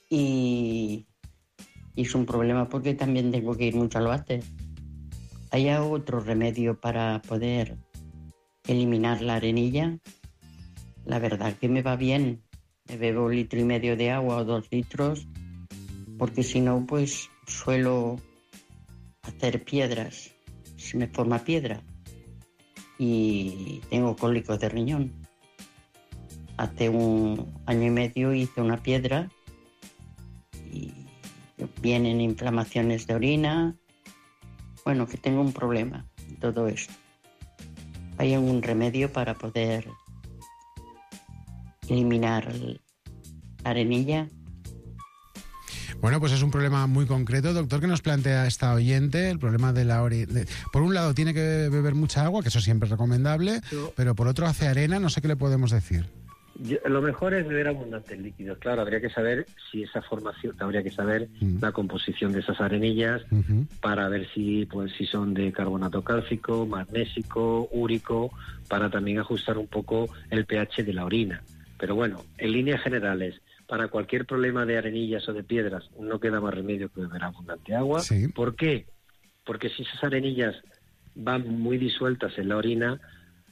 Speaker 17: y... Y es un problema porque también tengo que ir mucho al váter. ¿Hay otro remedio para poder eliminar la arenilla? La verdad que me va bien. Me bebo un litro y medio de agua o dos litros, porque si no, pues suelo hacer piedras. Se me forma piedra. Y tengo cólicos de riñón. hace un año y medio hice una piedra y vienen inflamaciones de orina. Bueno, que tengo un problema en todo esto. ¿Hay algún remedio para poder eliminar la arenilla?
Speaker 15: Bueno, pues es un problema muy concreto, doctor, que nos plantea esta oyente, el problema de la orina. Por un lado, tiene que beber mucha agua, que eso siempre es recomendable, Yo... pero por otro hace arena, no sé qué le podemos decir.
Speaker 16: Yo, lo mejor es beber abundantes líquidos. Claro, habría que saber si esa formación, habría que saber uh-huh. la composición de esas arenillas uh-huh. para ver si, pues, si son de carbonato cálcico, magnésico, úrico, para también ajustar un poco el pH de la orina. Pero bueno, en líneas generales, para cualquier problema de arenillas o de piedras no queda más remedio que beber abundante agua.
Speaker 15: Sí.
Speaker 16: ¿Por qué? Porque si esas arenillas van muy disueltas en la orina,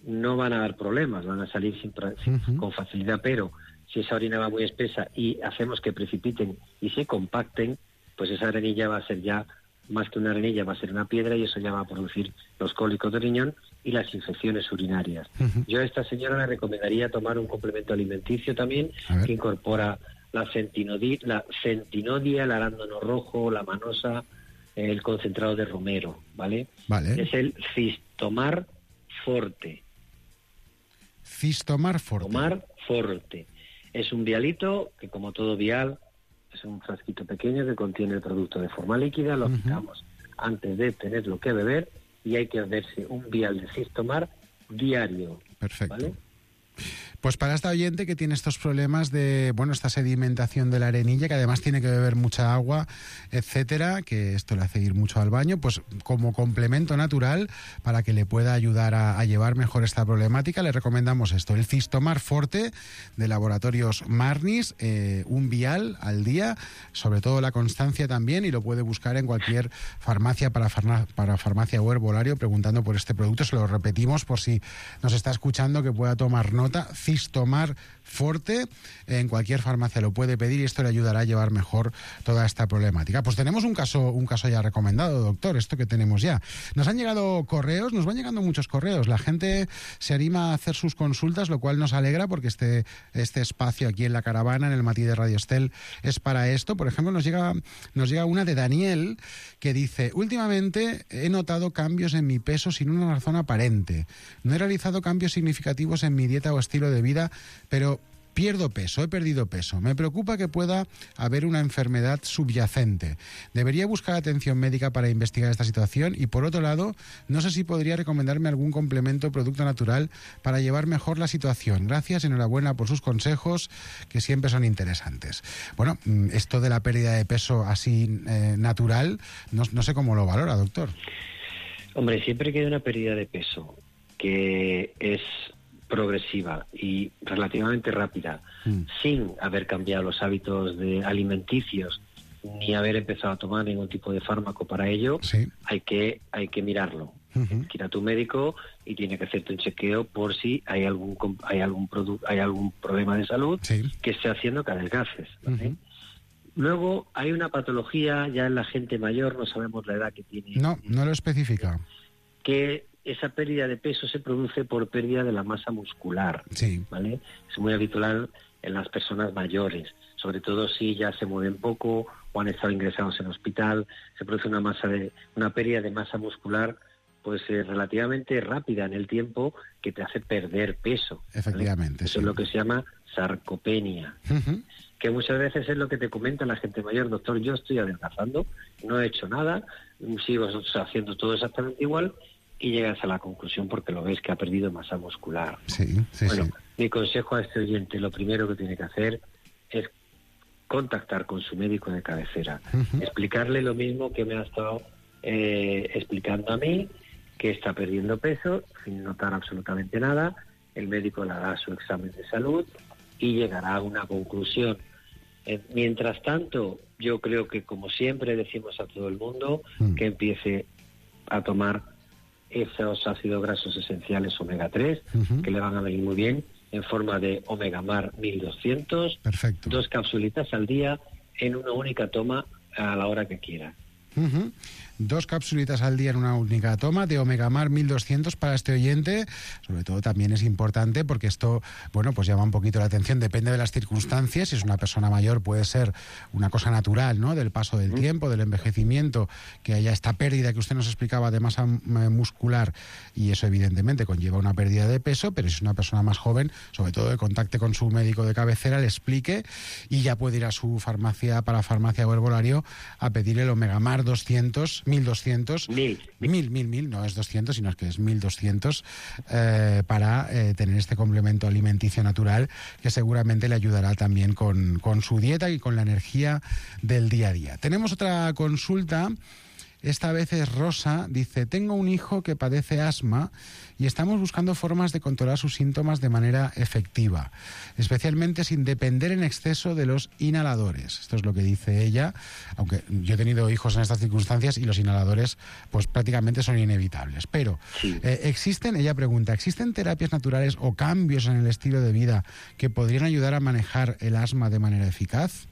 Speaker 16: no van a dar problemas, van a salir sin, sin, uh-huh. con facilidad, pero si esa orina va muy espesa y hacemos que precipiten y se compacten, pues esa arenilla va a ser ya, más que una arenilla, va a ser una piedra y eso ya va a producir los cólicos de riñón y las infecciones urinarias. Uh-huh. Yo a esta señora le recomendaría tomar un complemento alimenticio también que incorpora la, centinodi, la centinodia, el arándano rojo, la manosa, el concentrado de romero, ¿vale?
Speaker 15: Vale.
Speaker 16: Es el Cistomar Forte.
Speaker 15: Cistomar Forte.
Speaker 16: Cistomar Forte. Es un vialito que, como todo vial, es un frasquito pequeño que contiene el producto de forma líquida, lo aplicamos uh-huh. antes de tenerlo que beber y hay que beberse un vial de Cistomar diario.
Speaker 15: Perfecto.
Speaker 16: ¿Vale?
Speaker 15: Pues para esta oyente que tiene estos problemas de, bueno, esta sedimentación de la arenilla, que además tiene que beber mucha agua, etcétera, que esto le hace ir mucho al baño, pues como complemento natural para que le pueda ayudar a, a llevar mejor esta problemática, le recomendamos esto, el Cistomar Forte de Laboratorios Marnis, eh, un vial al día, sobre todo la constancia también, y lo puede buscar en cualquier farmacia para, farma, para farmacia o herbolario preguntando por este producto. Se lo repetimos por si nos está escuchando que pueda tomar nota. Cistomar Forte, en cualquier farmacia lo puede pedir y esto le ayudará a llevar mejor toda esta problemática. Pues tenemos un caso, un caso ya recomendado, doctor, esto que tenemos ya. Nos han llegado correos, nos van llegando muchos correos, la gente se anima a hacer sus consultas, lo cual nos alegra porque este, este espacio aquí en la caravana, en el Matí de Radio Estel, es para esto. Por ejemplo, nos llega, nos llega una de Daniel que dice: últimamente he notado cambios en mi peso sin una razón aparente. No he realizado cambios significativos en mi dieta o estilo de vida, pero pierdo peso, he perdido peso. Me preocupa que pueda haber una enfermedad subyacente. Debería buscar atención médica para investigar esta situación y, por otro lado, no sé si podría recomendarme algún complemento o producto natural para llevar mejor la situación. Gracias, enhorabuena por sus consejos, que siempre son interesantes. Bueno, esto de la pérdida de peso así eh, natural, no, no sé cómo lo valora, doctor.
Speaker 16: Hombre, siempre que hay una pérdida de peso que es progresiva y relativamente rápida, mm. sin haber cambiado los hábitos de alimenticios ni haber empezado a tomar ningún tipo de fármaco para ello,
Speaker 15: sí. hay
Speaker 16: que hay que mirarlo. Uh-huh. Tienes que ir a tu médico y tiene que hacerte un chequeo por si hay algún hay algún producto hay algún problema de salud
Speaker 15: sí.
Speaker 16: que esté haciendo que adelgaces, ¿vale?
Speaker 15: Uh-huh.
Speaker 16: Luego hay una patología ya en la gente mayor, no sabemos la edad que tiene.
Speaker 15: No, no lo especifica.
Speaker 16: Que esa pérdida de peso se produce por pérdida de la masa muscular,
Speaker 15: sí.
Speaker 16: ¿vale? Es muy habitual en las personas mayores, sobre todo si ya se mueven poco o han estado ingresados en hospital, se produce una masa de una pérdida de masa muscular pues eh, relativamente rápida en el tiempo que te hace perder peso.
Speaker 15: Efectivamente.
Speaker 16: ¿Vale? Eso
Speaker 15: sí.
Speaker 16: es lo que se llama sarcopenia,
Speaker 15: uh-huh.
Speaker 16: que muchas veces es lo que te comenta la gente mayor: doctor, yo estoy adelgazando, no he hecho nada, sigo haciendo todo exactamente igual, y llegas a la conclusión porque lo ves que ha perdido masa muscular.
Speaker 15: Sí, sí,
Speaker 16: bueno,
Speaker 15: sí.
Speaker 16: Mi consejo a este oyente, lo primero que tiene que hacer es contactar con su médico de cabecera, uh-huh. explicarle lo mismo que me ha estado eh, explicando a mí, que está perdiendo peso sin notar absolutamente nada. El médico le hará su examen de salud y llegará a una conclusión. Eh, mientras tanto, yo creo que, como siempre decimos a todo el mundo, uh-huh. que empiece a tomar esos ácidos grasos esenciales omega tres, uh-huh. que le van a venir muy bien, en forma de Omega Mar mil doscientos,
Speaker 15: perfecto.
Speaker 16: Dos capsulitas al día en una única toma a la hora que quiera.
Speaker 15: Uh-huh. Dos capsulitas al día en una única toma de Omega Mar mil doscientos para este oyente. Sobre todo también es importante porque esto, bueno, pues llama un poquito la atención, depende de las circunstancias. Si es una persona mayor puede ser una cosa natural, ¿no? Del paso del tiempo, del envejecimiento, que haya esta pérdida que usted nos explicaba de masa muscular, y eso evidentemente conlleva una pérdida de peso, pero si es una persona más joven, sobre todo que contacte con su médico de cabecera, le explique y ya puede ir a su farmacia, para farmacia o herbolario, a pedir el Omega Mar doscientos, mil doscientos, mil, mil, mil, mil, no es doscientos, sino que es mil doscientos, eh, para eh, tener este complemento alimenticio natural que seguramente le ayudará también con, con su dieta y con la energía del día a día. Tenemos otra consulta. Esta vez es Rosa, dice, tengo un hijo que padece asma y estamos buscando formas de controlar sus síntomas de manera efectiva, especialmente sin depender en exceso de los inhaladores. Esto es lo que dice ella, aunque yo he tenido hijos en estas circunstancias y los inhaladores pues prácticamente son inevitables. Pero sí. eh, existen, ella pregunta, ¿existen terapias naturales o cambios en el estilo de vida que podrían ayudar a manejar el asma de manera eficaz?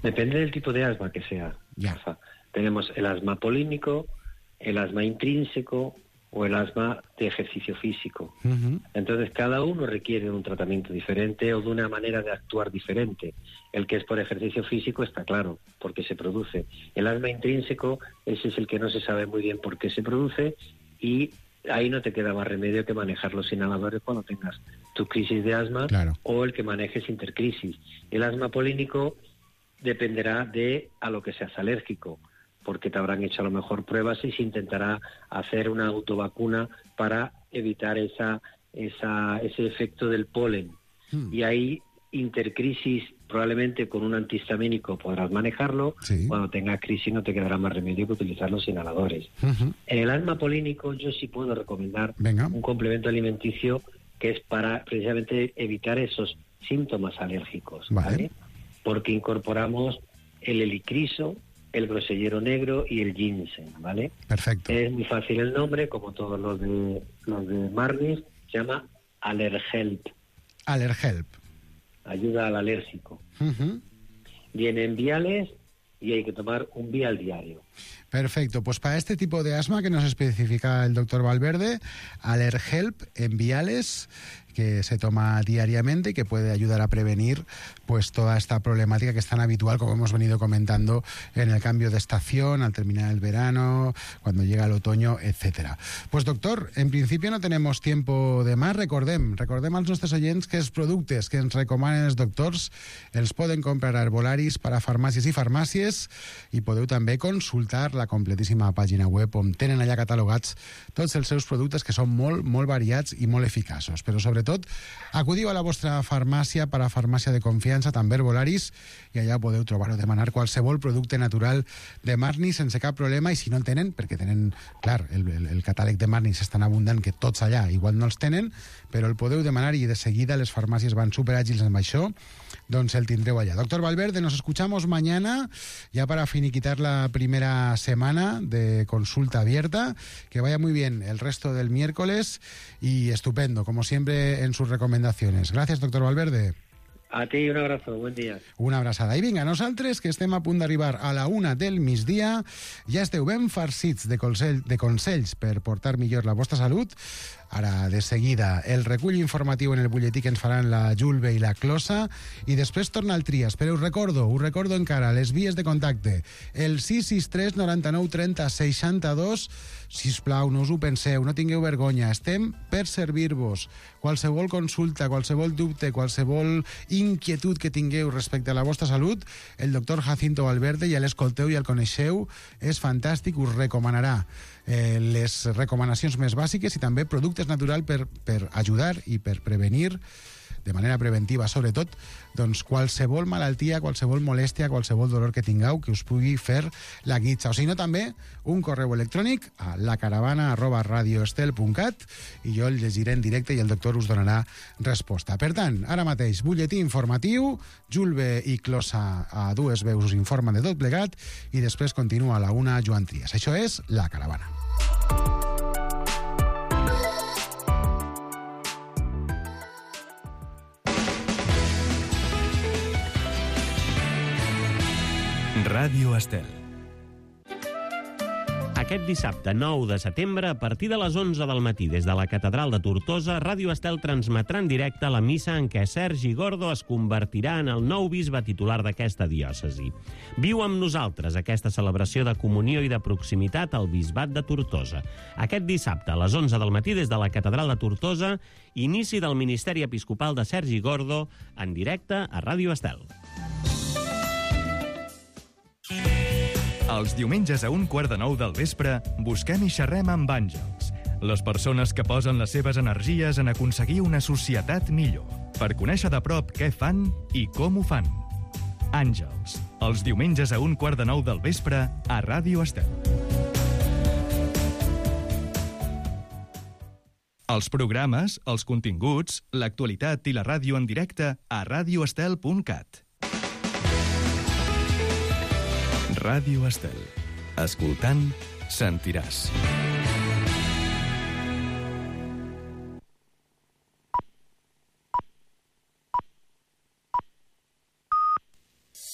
Speaker 16: Depende del tipo de asma que sea.
Speaker 15: Ya.
Speaker 16: O sea, tenemos el asma polínico, el asma intrínseco o el asma de ejercicio físico. Uh-huh. Entonces, cada uno requiere un tratamiento diferente o de una manera de actuar diferente. El que es por ejercicio físico está claro, porque se produce. El asma intrínseco, ese es el que no se sabe muy bien por qué se produce, y ahí no te queda más remedio que manejar los inhaladores cuando tengas tu crisis de asma, claro, o el que manejes intercrisis. El asma polínico dependerá de a lo que seas alérgico, porque te habrán hecho a lo mejor pruebas y se intentará hacer una autovacuna para evitar esa, esa, ese efecto del polen. Hmm. Y ahí intercrisis, probablemente con un antihistamínico podrás manejarlo. Sí. Cuando tengas crisis no te quedará más remedio que utilizar los inhaladores. Uh-huh. En el asma polínico yo sí puedo recomendar Venga. un complemento alimenticio que es para precisamente evitar esos síntomas alérgicos, vale. ¿vale? Porque incorporamos el helicriso, el grosellero negro y el ginseng, ¿vale?
Speaker 15: Perfecto.
Speaker 16: Es muy fácil el nombre, como todos los de los de Marnis, se llama Allerhelp.
Speaker 15: Allerhelp.
Speaker 16: Ayuda al alérgico.
Speaker 15: Uh-huh.
Speaker 16: Viene en viales y hay que tomar un vial diario.
Speaker 15: Perfecto, pues para este tipo de asma que nos especifica el doctor Valverde, Allerhelp en viales, que se toma diariamente y que puede ayudar a prevenir pues toda esta problemática que es tan habitual, como hemos venido comentando, en el cambio de estación, al terminar el verano, cuando llega el otoño, etcétera. Pues doctor, en principio no tenemos tiempo de más. Recordem, recordem als nostres oients que els productes que ens recomanen els doctors els poden comprar a herbolaris per a farmàcies i farmàcies, i podeu també consultar la completíssima pàgina web on tenen allà catalogats tots els seus productes, que són molt, molt variats i molt eficaços. Però sobretot tot, acudiu a la vostra farmàcia, per a farmàcia de confiança, també herbolaris, i allà podeu trobar o demanar qualsevol producte natural de Marni sense cap problema, i si no el tenen, perquè tenen, clar, el, el, el catàleg de Marni és tan abundant que tots allà igual no els tenen, però el podeu demanar i de seguida les farmàcies van superàgils amb això, doncs el tindreu allá. Doctor Valverde, nos escuchamos mañana, ya para finiquitar la primera semana de consulta abierta. Que vaya muy bien el resto del miércoles y estupendo, como siempre, en sus recomendaciones. Gracias, doctor Valverde.
Speaker 16: A ti un abrazo, buen dia.
Speaker 15: Una abraçada. I vinga, nosaltres, que estem a punt d'arribar a la una del migdia, ja esteu ben farcits de, consell, de consells per portar millor la vostra salut. Ara, de seguida, el recull informatiu en el butlletí que ens faran la Julve i la Closa, i després torna el Trias. Però us recordo, us recordo encara les vies de contacte. El sis sis tres noranta-nou trenta seixanta-dos. Sisplau, no us ho penseu, no tingueu vergonya. Estem per servir-vos. Qualsevol consulta, qualsevol dubte, qualsevol inquietud que tingueu respecte a la vostra salut, el doctor Jacinto Valverde, ja l'escolteu i el coneixeu, és fantàstic, us recomanarà eh, les recomanacions més bàsiques i també productes naturals per, per ajudar i per prevenir, de manera preventiva sobretot, doncs qualsevol malaltia, qualsevol molèstia, qualsevol dolor que tingueu que us pugui fer la guitza. O si no, també un correu electrònic a lacaravana arroba radioestel punt cat i jo el llegiré en directe i el doctor us donarà resposta. Per tant, ara mateix, butlletí informatiu, Julve i Closa a dues veus us informen de tot plegat i després continua a la una Joan Trias. Això és La Caravana.
Speaker 5: Ràdio Estel.
Speaker 10: Aquest dissabte nou de setembre, a partir de les onze del matí, des de la Catedral de Tortosa, Ràdio Estel transmetrà en directe la missa en què Sergi Gordo es convertirà en el nou bisbe titular d'aquesta diòcesi. Viu amb nosaltres aquesta celebració de comunió i de proximitat al bisbat de Tortosa. Aquest dissabte, a les onze del matí, des de la Catedral de Tortosa, inici del ministeri episcopal de Sergi Gordo, en directe a Ràdio Estel.
Speaker 5: Els diumenges a un quart de nou del vespre busquem i xerrem amb àngels, les persones que posen les seves energies en aconseguir una societat millor, per conèixer de prop què fan i com ho fan. Àngels, els diumenges a un quart de nou del vespre a Ràdio Estel. Els programes, els continguts, l'actualitat i la ràdio en directe a radioestel punt cat. Ràdio Estel. Escoltant, sentiràs.